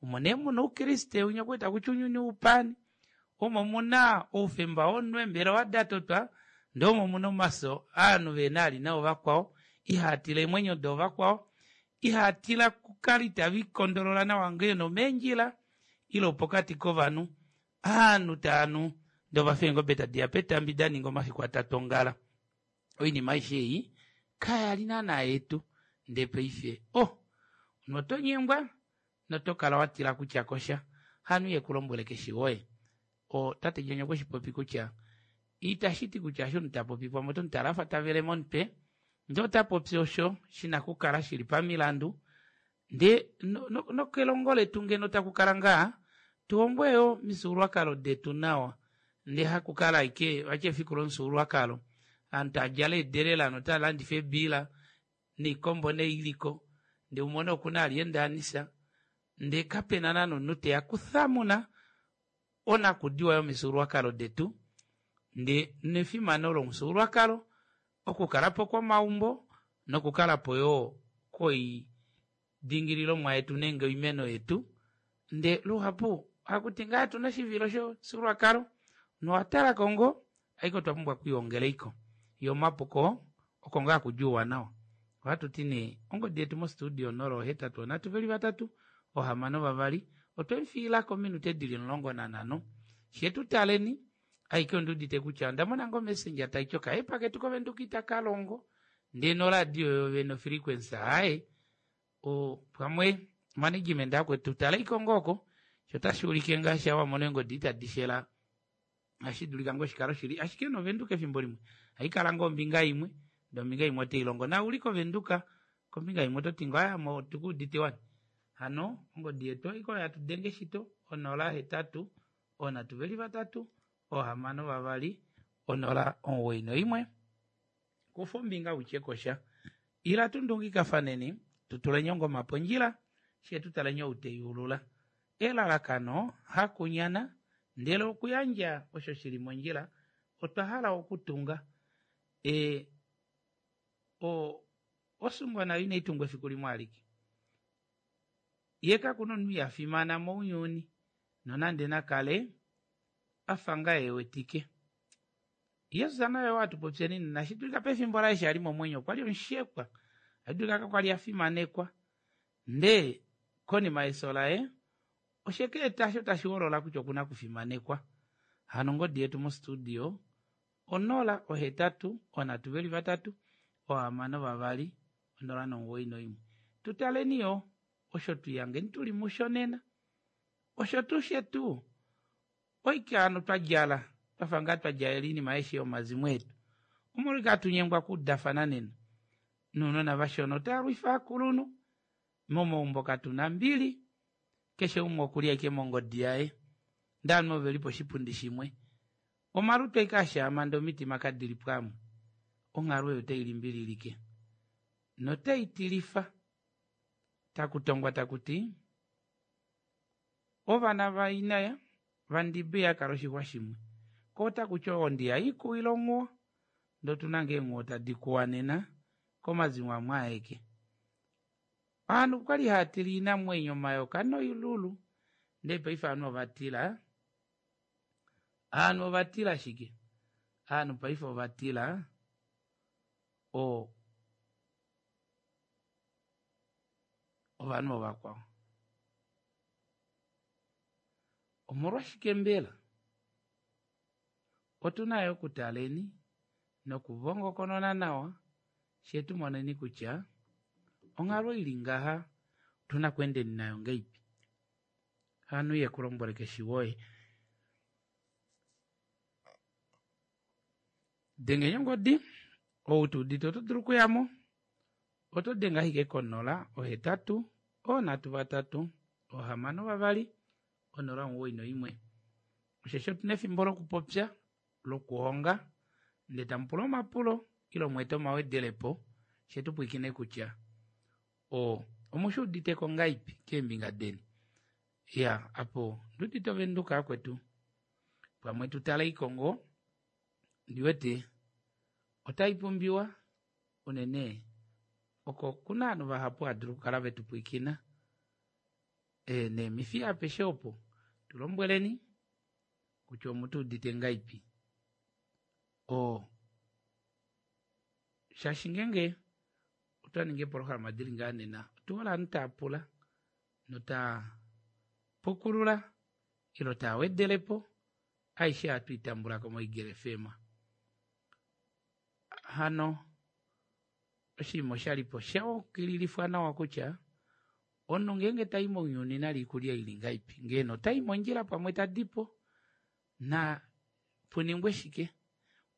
omo nee muna oukriste winya okuweta kutya ounyuni oupani omo muna oufemba womunhu eembelewa datotwa ndee omo muna omaso aanhu vehena ali nao vakwao ihaatila eemwenyo dovakwao ihaatila kukala itavikondolola nawa ngeno omeendjila ile opokati kovanhu aanhu taanu ndee ovafa eengobe tadiya petambi daninga omafiku atatu ongala oinima aishe ei kayali naana yetu ndee paife oh omunhu oto nyengwa noto kala watila kutya kosha hanu yekulombwele keshe woye o tate John okwe shipopi kutya itashiti kutya eshi omunhu tapopi pamwe oto mutala afa tavele momutwe ndee ota popi osho shina okukala shili pamilandu ndee no- no- nokelongo letu ngeno takukala ngaa tuhongwe yo omifyuululwakalo detu nawa ndee hakukala ashike vati efiku lomufyuululwakalo aanhu taadjala eedelela notalandifa eebiila noikombo noiliko ndee umone okuna ali endaanisa ndee kapena naana omunhu teya kuthamuna onakudiwa yomifyuululwakalo detu ndee nefimano lomufyuululwakalo okukalapo kwomaumbo nokukalapo yoo koidingililomwa yetu nenge oimeno yetu ndee luhapu hakuti ngaa tuna oshivilo shomufyuululwakalo nowatalako ngoo ashike otwa pumbwa okwiihongela yo omapuko oko ngaa hakudi ouwanawa ohatuti nee ongodi yetu mostudio onola ohetatu onhatu veli vatatu ohamano vavali otwemufiilako ominute dili omulongo nanhano shetu taleni aike ondiudite kutya onda mona ngoo messenger taiti okaepa ketu kovenduka itakalongo ndee noradio yovene ofrequency aaye o pamwe management akwetu taleiko ngoo oko sho otashi ulike ngaashi wamona eengodi itadi shela ohashi dulika ngoo shikale oshili ashike novenduka efimbo limwe haikala ngoo ombinga imwe ndee ombinga imwe otailongo na uli kovenduka kombinga imwe ototi ngoo aya otukuudite wani hano ongodi yetu oiko yatudenge shito onola hetatu onhatu veli vatatu ohamano vavali onola omuwoi noimwe kufa ombinga utye kosha ila tundungikafaneni tutuleni ongoma pondjila shee tutaleni ou teyuulula Elalakano hakunyana ndele okuyandja osho shili mondjila otwa hala okutunga e, o, osungwa nayo inai tungwa efiku limwe alike ye kakuna omunhu ya fimana mounyuni nonande nakale afa ngaa ewetike Jesus naye watupopyeni nena shidulika pefimbo laye eshi ali momwenyo okwa li omushekwa adulika kakwali afimanekwa ndee konima yeso laye osheka osho tashi holola kutya okuna kufimanekwa hano ongodi yetu mostudio onola ohetatu onhatu veli vatatu ohamano vavali onola nomuwoi noimwe tutaleni yo osho tuyangeni tuli musho nena osho tuu shetu oike hano twadjala twafa ngaa twadjalela oinima aishe yomazimo etu omolwike hatu nyengwa okuudafana nena nounona vashona otava lwifa akulunhu momaumbo katuna mbili keshe umwe okuli ashike mongodi yaye ndee ovanhu oveli poshipundi shimwe omalutu ashike ashaama ndee omitima kadili pamwe onghalo oyo otai notai tilifa takutongwa takuti ovana vainaya vandibi yakala oshixwa shimwe ko otakuti ondi haikuwila onghuwo ndee otuna ngoo eenghuwo tadi kuwa nena komazimo amwe aeke ovanhu okwali haatila oinamwenyo omayoka noilulu ndee paife ovanhu ovatila ovanhu ovatila shike ovanhu paife ovatila o ovanhu ovakwao omolwashike mbela otuna yo okutaleni nokuvongokonona nawa shee tumoneni kutya onghalo ili ngaha otuna okweendeni nayo ngeipi hano iye kulombwele keshe woye dengeni ongodi ou tuudite oto dulu okuyamo oto denge ashike konola ohetatu onhatu vatatu ohamano vavali onola omuwoi noimwe osheshi otuna efimbo lokupopya lokuhonga ndee tamupula omapulo ile mweete omawedelepo shee tupwiikine kutya o omushuuditeko ngaipi keembinga deni ya apo nduudite ovenduka akwetu pamwe tutale ikongo ndiwete otai pumbiwa unene oko kuna ovanhu vahapu hadulu okukala vetupwiikina e, neemifi apeshe opo tulombweleni kutya omutuudite ngaipi o shaashi ngenge otwa ninga eepolohalama dili ngaa nena otuhole ovanhu taapula notaa pukulula ilo taa wedelepo aishe ohatu itambulako moEagle FM hano oshinima oshalipo shaukililifwa nawa kutya omunhu ngeenge tai mounyuni nali ikulya ili ngaipi ngeeno otai mondjila pamwe tadipo na puningwe shike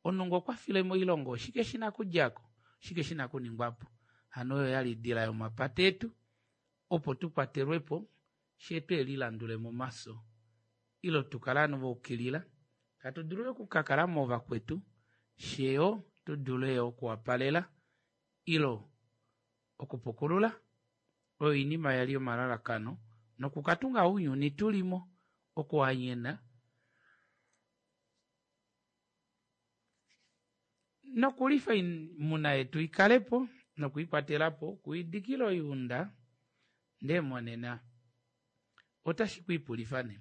omunhu ngee okwafile moilongo oshike shina okudjako oshike shina okuningwapo hano oyo yali idila yomapata etu opo tukwatelwepo shee twelilandule momaso ilo tukale ovanhu vaukilila hatu dulu okukakala movakwetu sheyo tudule okuwapalela ilo okupukulula oyo oinima yali yomalalakano nokukatunga ounyuni tulimo okuhanyena nokulifa oimuna yetu ikalepo nokuikwatelapo okuidikila oiunda ndee monena otashi kwiipulifa nee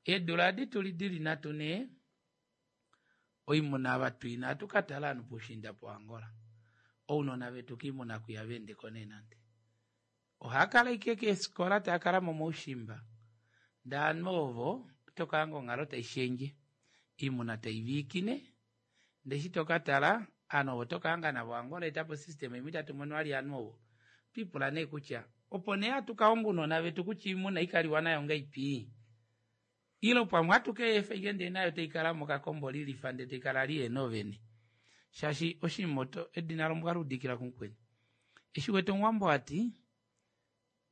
eedula adi tuli dili nhatu nee oimuna ava tuina ohatu katala ovanhu poushiinda poAngola ounona vetu kiimuna kwiya veendeko nee nande ohaakala ashike keefikola taakala momaushimba ndee ovanhu ovo otokahanga onghalo taishendje oimuna taiviikine ndee eshi tokatala ovanhu ovo tokahanga navo Angola etapo system imwe itatu mono vali ovanhu ovo otwiipula nee kutya opo nee hatu kahonga ounona vetu kutya oimuna ikaliwa nayo ngaipi ilo pamwe hatu keefa ashike ndee nayo taikala mokakombo lilifa ndee taikala liyena ovene shaashi oshinima oto edina lombwa luudikila kumukweni eshi wete omuwambo ati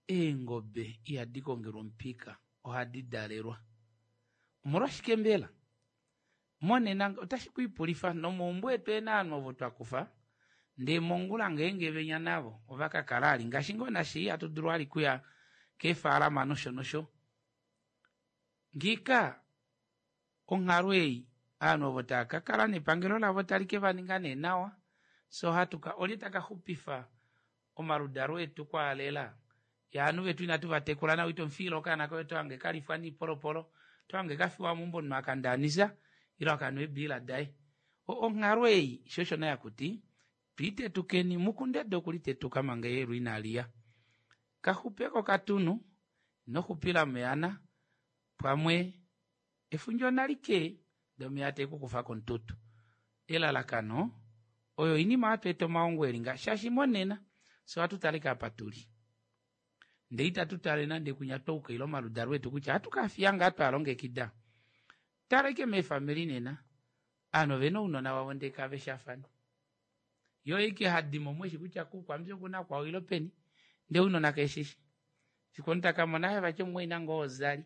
eengobe ihadi kongelwa omupika ohadi dalelwa omolwashike mbela monena otashi kwiipulifa nomaumbo etu ena ovanhu ovo twakufa ndee mongula ngeenge venya navo ovakakala ali ngaashi ngoo nashi hatu dulu ali kuya keefalama nosho nosho Ngiika onghalo ei ovanhu ovo tava ka kala nepangelo lavo tali ke va ninga nee nawa so hatuka olye taka xupifa omaludalo etu kwaalela yaanhu vetu inatu vatekula nawa ito mufiile okaana koye otohange kalifwa niipolopolo otohange kafiwa meumbo omunhu akandaanisa ile akanwa eebiila daye. Onghalo ei sho osho nee hakuti twiitetukeni mukundede okulitetuka manga eyelu inaliya. Kaxupeko katunhu inoxupila meyana pamwe efundja onalike ndee omeva taekukufa komututu. Elalakano oyo oinima hatu eta omahongo elinga shaashi monena fyee ohatu tale ashike apa tuli ndee itatu tale nande kunya twaukaila omaludalo etu kutya ohatu kafiya ngaa twalongekida. Tala ashike meefamili nena ovanhu ovena ounona vavo ndee kaveshafane yoo ashike hadimo mweshi kutya kuukwambi okuna kwao ile peni ndee ounona keshishi fiku omunhu takamona aaye vati omumwaina ngoo ozali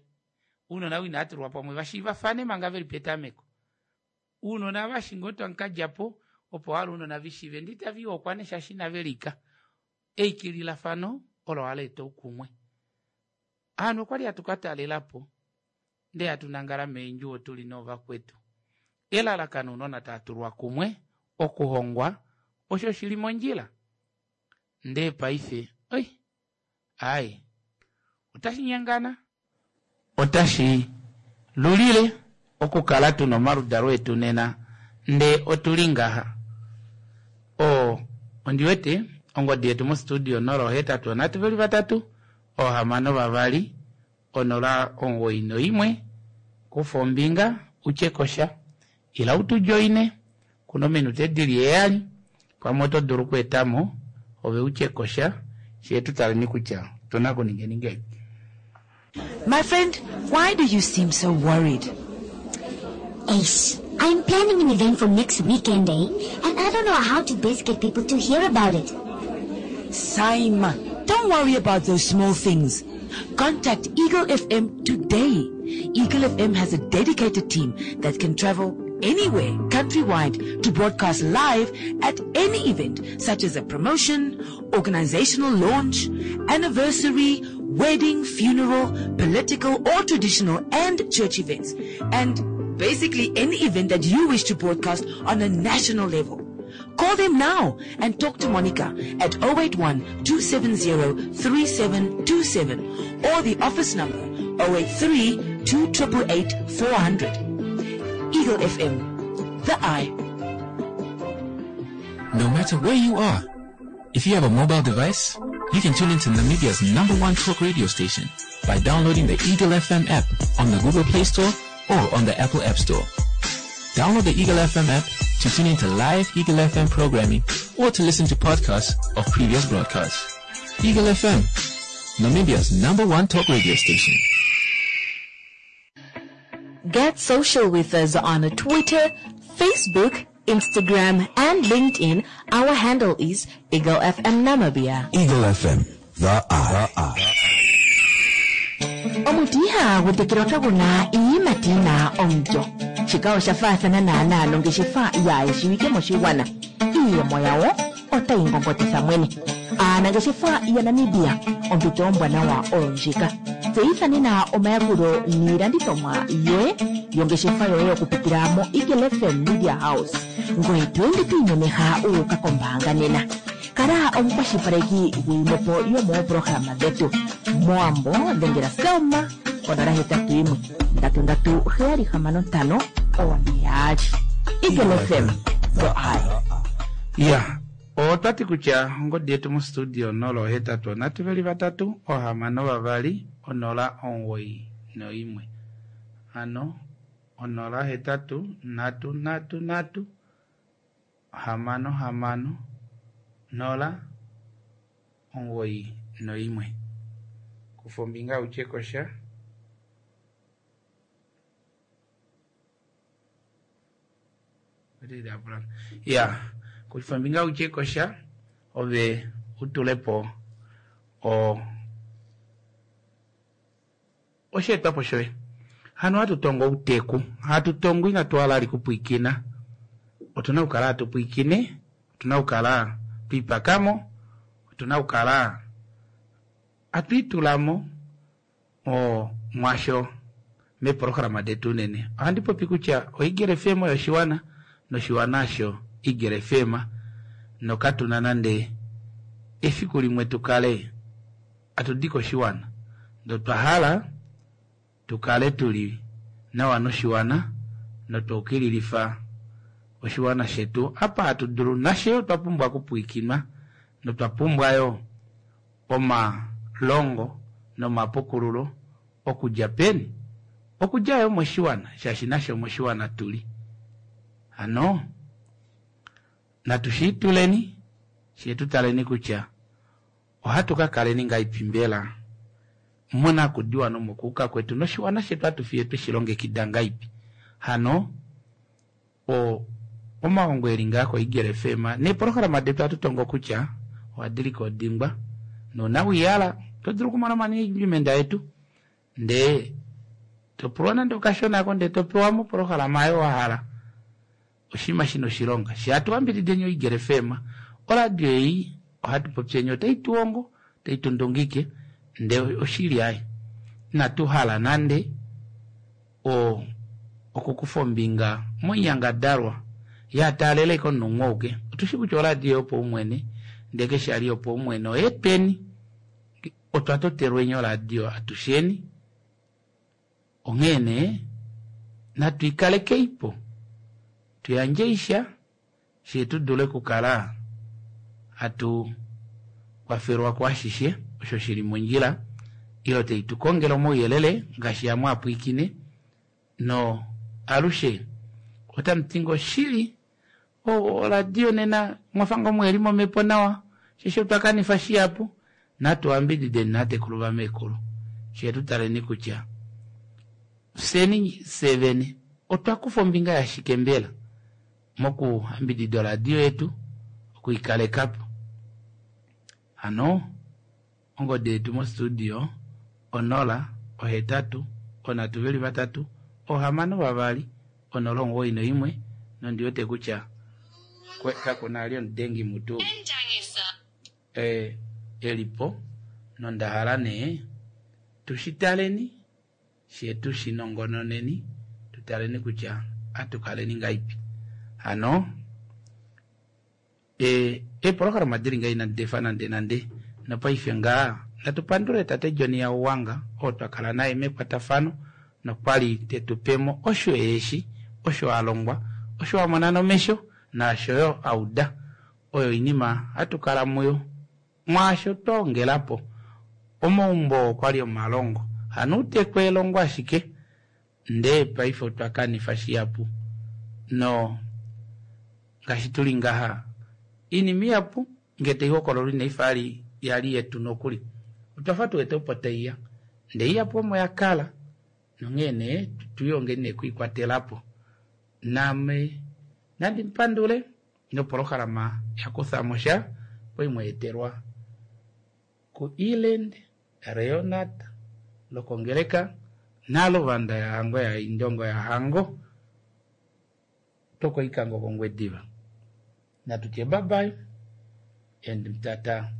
ounona ou inatulwa pamwe vashiivafane manga veli petameko. Ounona vashi ngoo tamukadjapo opo hala ounona vishiive ndee itavihokwa nee shaashi inavelika. Eikililafano olo haleeta oukumwe. Ovanhu okwali hatu katalelapo ndee hatu nangala meendjuwo tuli noovakwetu. Elalakano ounona taatulwa kumwe okuhongwa osho shili mondjila ndee paife oi aaye otashi nyengana otashi lulile okukala tuna omaludalo etu nena ndee otuli ngaha. Oo ondiwete ongodi yetu mostudio nola ohetatu onhatu veli vatatu oohamano vavali onola omugoyi noimwe kufa ombinga utye kosha ila utu joine kuna ominute dili heyali pamwe oto dulu okweetamo ove utye kosha fyee tutaleni kutya otuna okuningeni ngahelipi. My friend, why do you seem so worried? Ace, I'm planning an event for next weekend, eh? And I don't know how to best get people to hear about it. Saima, don't worry about those small things. Contact Eagle F M today. Eagle F M has a dedicated team that can travel anywhere countrywide to broadcast live at any event such as a promotion, organizational launch, anniversary, wedding, funeral, political or traditional and church events. And basically any event that you wish to broadcast on a national level. Call them now and talk to Monica at oh eight one two seven zero three seven two seven or the office number oh eight three two eight eight four hundred. Eagle F M, the eye. No matter where you are, if you have a mobile device, you can tune into Namibia's number one talk radio station by downloading the Eagle F M app on the Google Play Store or on the Apple App Store. Download the Eagle F M app to tune into live Eagle F M programming or to listen to podcasts of previous broadcasts. Eagle F M, Namibia's number one talk radio station. Get social with us on Twitter, Facebook, Instagram, and LinkedIn. Our handle is Eagle F M Namibia. Eagle F M, the eye. The eye. Omuti ihagu tekelwa kagu na iiyimati yi na omulyo. Shika osha faathana naanaa nongeshefa yaayishiwike moshigwana. Iiyemo yawo otayi ngongotitha mwene. Aanangeshefa yaNamibia, ompito ombwanawa oyo ndjika. Tseyitha nena omayakulo niilandithomwa yoye yongeshefa yoye okupitila moEagle F M Media House. Ngoye to ende to imemeha wu uka kombaanga nena. Kala omukwashilipaleki gwiimwepo yomoopolohalama dhetu. Mowambo dhengela Selma konola hetatu yimwe ndatu ndatu heyali hamano ntano one yaali. Eagle F M, the eye. Ya, otwati kutya ongodi yetu mostudio onola ohetatu onhatu veli vatatu ohamano vavali onola omugoyi noimwe. Hano onola hetatu nhatu nhatu nhatu hamano hamano nola omugoyi noimwe. Kufa ombinga utye kosha. Ya, kufa ombinga utye kosha ove utulepo o osheetwapo shoye. Hano hatu tongo outeku, hatu tongo inatu hala ali kupwiikina. Otuna okukala hatu pwiikine, otuna okukala twipakamo, otuna okukala hatu itulamo o mwasho Meeprograma detu unene. Ohandi popi kutya oEagle FM oyo oshiwana noshiwana osho Eagle FM nokatuna nande efiku limwe tu kale atu di koshiwana. Ndee otwa hala tu kale tuli nawa noshiwana notwa ukililifa oshiwana shetu apa hatu dulu nafye otwa pumbwa okupwiikinwa notwa pumbwa yoo omalongo nomapukululo okudja peni? Okudja yoo moshiwana shaashi nafye omoshiwana tuli. Hano natu shiituleni fyee tutaleni kutya ohatu kakaleni ngahelipi mbela monakudiwa nomokuuka kwetu noshiwana shetu ohatu fiye tweshilongekida ngahelipi. Hano o omahongo eli ngaa koEagle FM neeprograma detu ohatu tongo kutya ohadi likodingwa nouna wiihala oto dulu okumona omanagement etu ndee topulwa nande okashona ako ndee topewa moprograma oyo wahala oshinima shina oshilonga. Fyee hatu yambidideni oEagle FM oradio ei ohatu popyeni otai tuhongo otai tundungike ndee oshili aaye inatu hala nande o okukufa ombinga moinyangadalwa yataalela ashike omunhu umwe auke. Otushi kutya oradio yopaumwene ndee keshe ali yopaumwene oyetweni otwa totelweni oradio atusheni onghee nee natu ikalekeipo tuyandje isha fyee tudule okukala hatu kwafelwa kuashishe osho shili mondjila ile tai tukongele omauyelele ngaashi amwe apwiikine no alushe otamuti ngoo oshili oradio nena mwafa ngoo muheli momhepo nawa shaashi otwa kanifa shihapu natu yambidideni natekulu vameekulu fyee tutaleni kutya fyeni fyee vene otwa kufa ombinga yashike mbela mokuyambidida oradio yetu okwiikalekapo. Hano ongodi yetu mostudio onola ohetatu onhatu veli vatatu ohamano vavali onola omugoyi noimwe nondiwete kutya kakuna ali omudengi mutu e, elipo nonda hala nee tushitaleni fyee tushinongononeni tutaleni kutya atukaleni ngahelipi. Hano e, eeprograma dili ngaha inadi defa nande nande nopaife ngaa natu pandule tate John Yauwanga oo twakala naye mekwatafano nokwali tetupemo osho eeshi osho alongwa osho amona nomesho naasho yo auda oyo oinima hatu kala muyo mwaasho twaongelapo omaumbo okwali omalongo hano outeku elongo ashike ndee paife otwa kanifa shihapu no ngaashi tuli ngaha oinima ihapu ngee taihokololwa inaifa yali yali yetu nokuli otwafa tuwete opo taiya ndee ihapu omo yakala nonghee nee tuilongeni nee okwiikwatelapo. Naame nandi mupandule noprograma yakuthamo sha kwali mweetelwa ku Eland Leonard lokongeleka naluvanda yahango ya Indongo yahango tokoikango kOngwediva. Natutye bye bye and mtata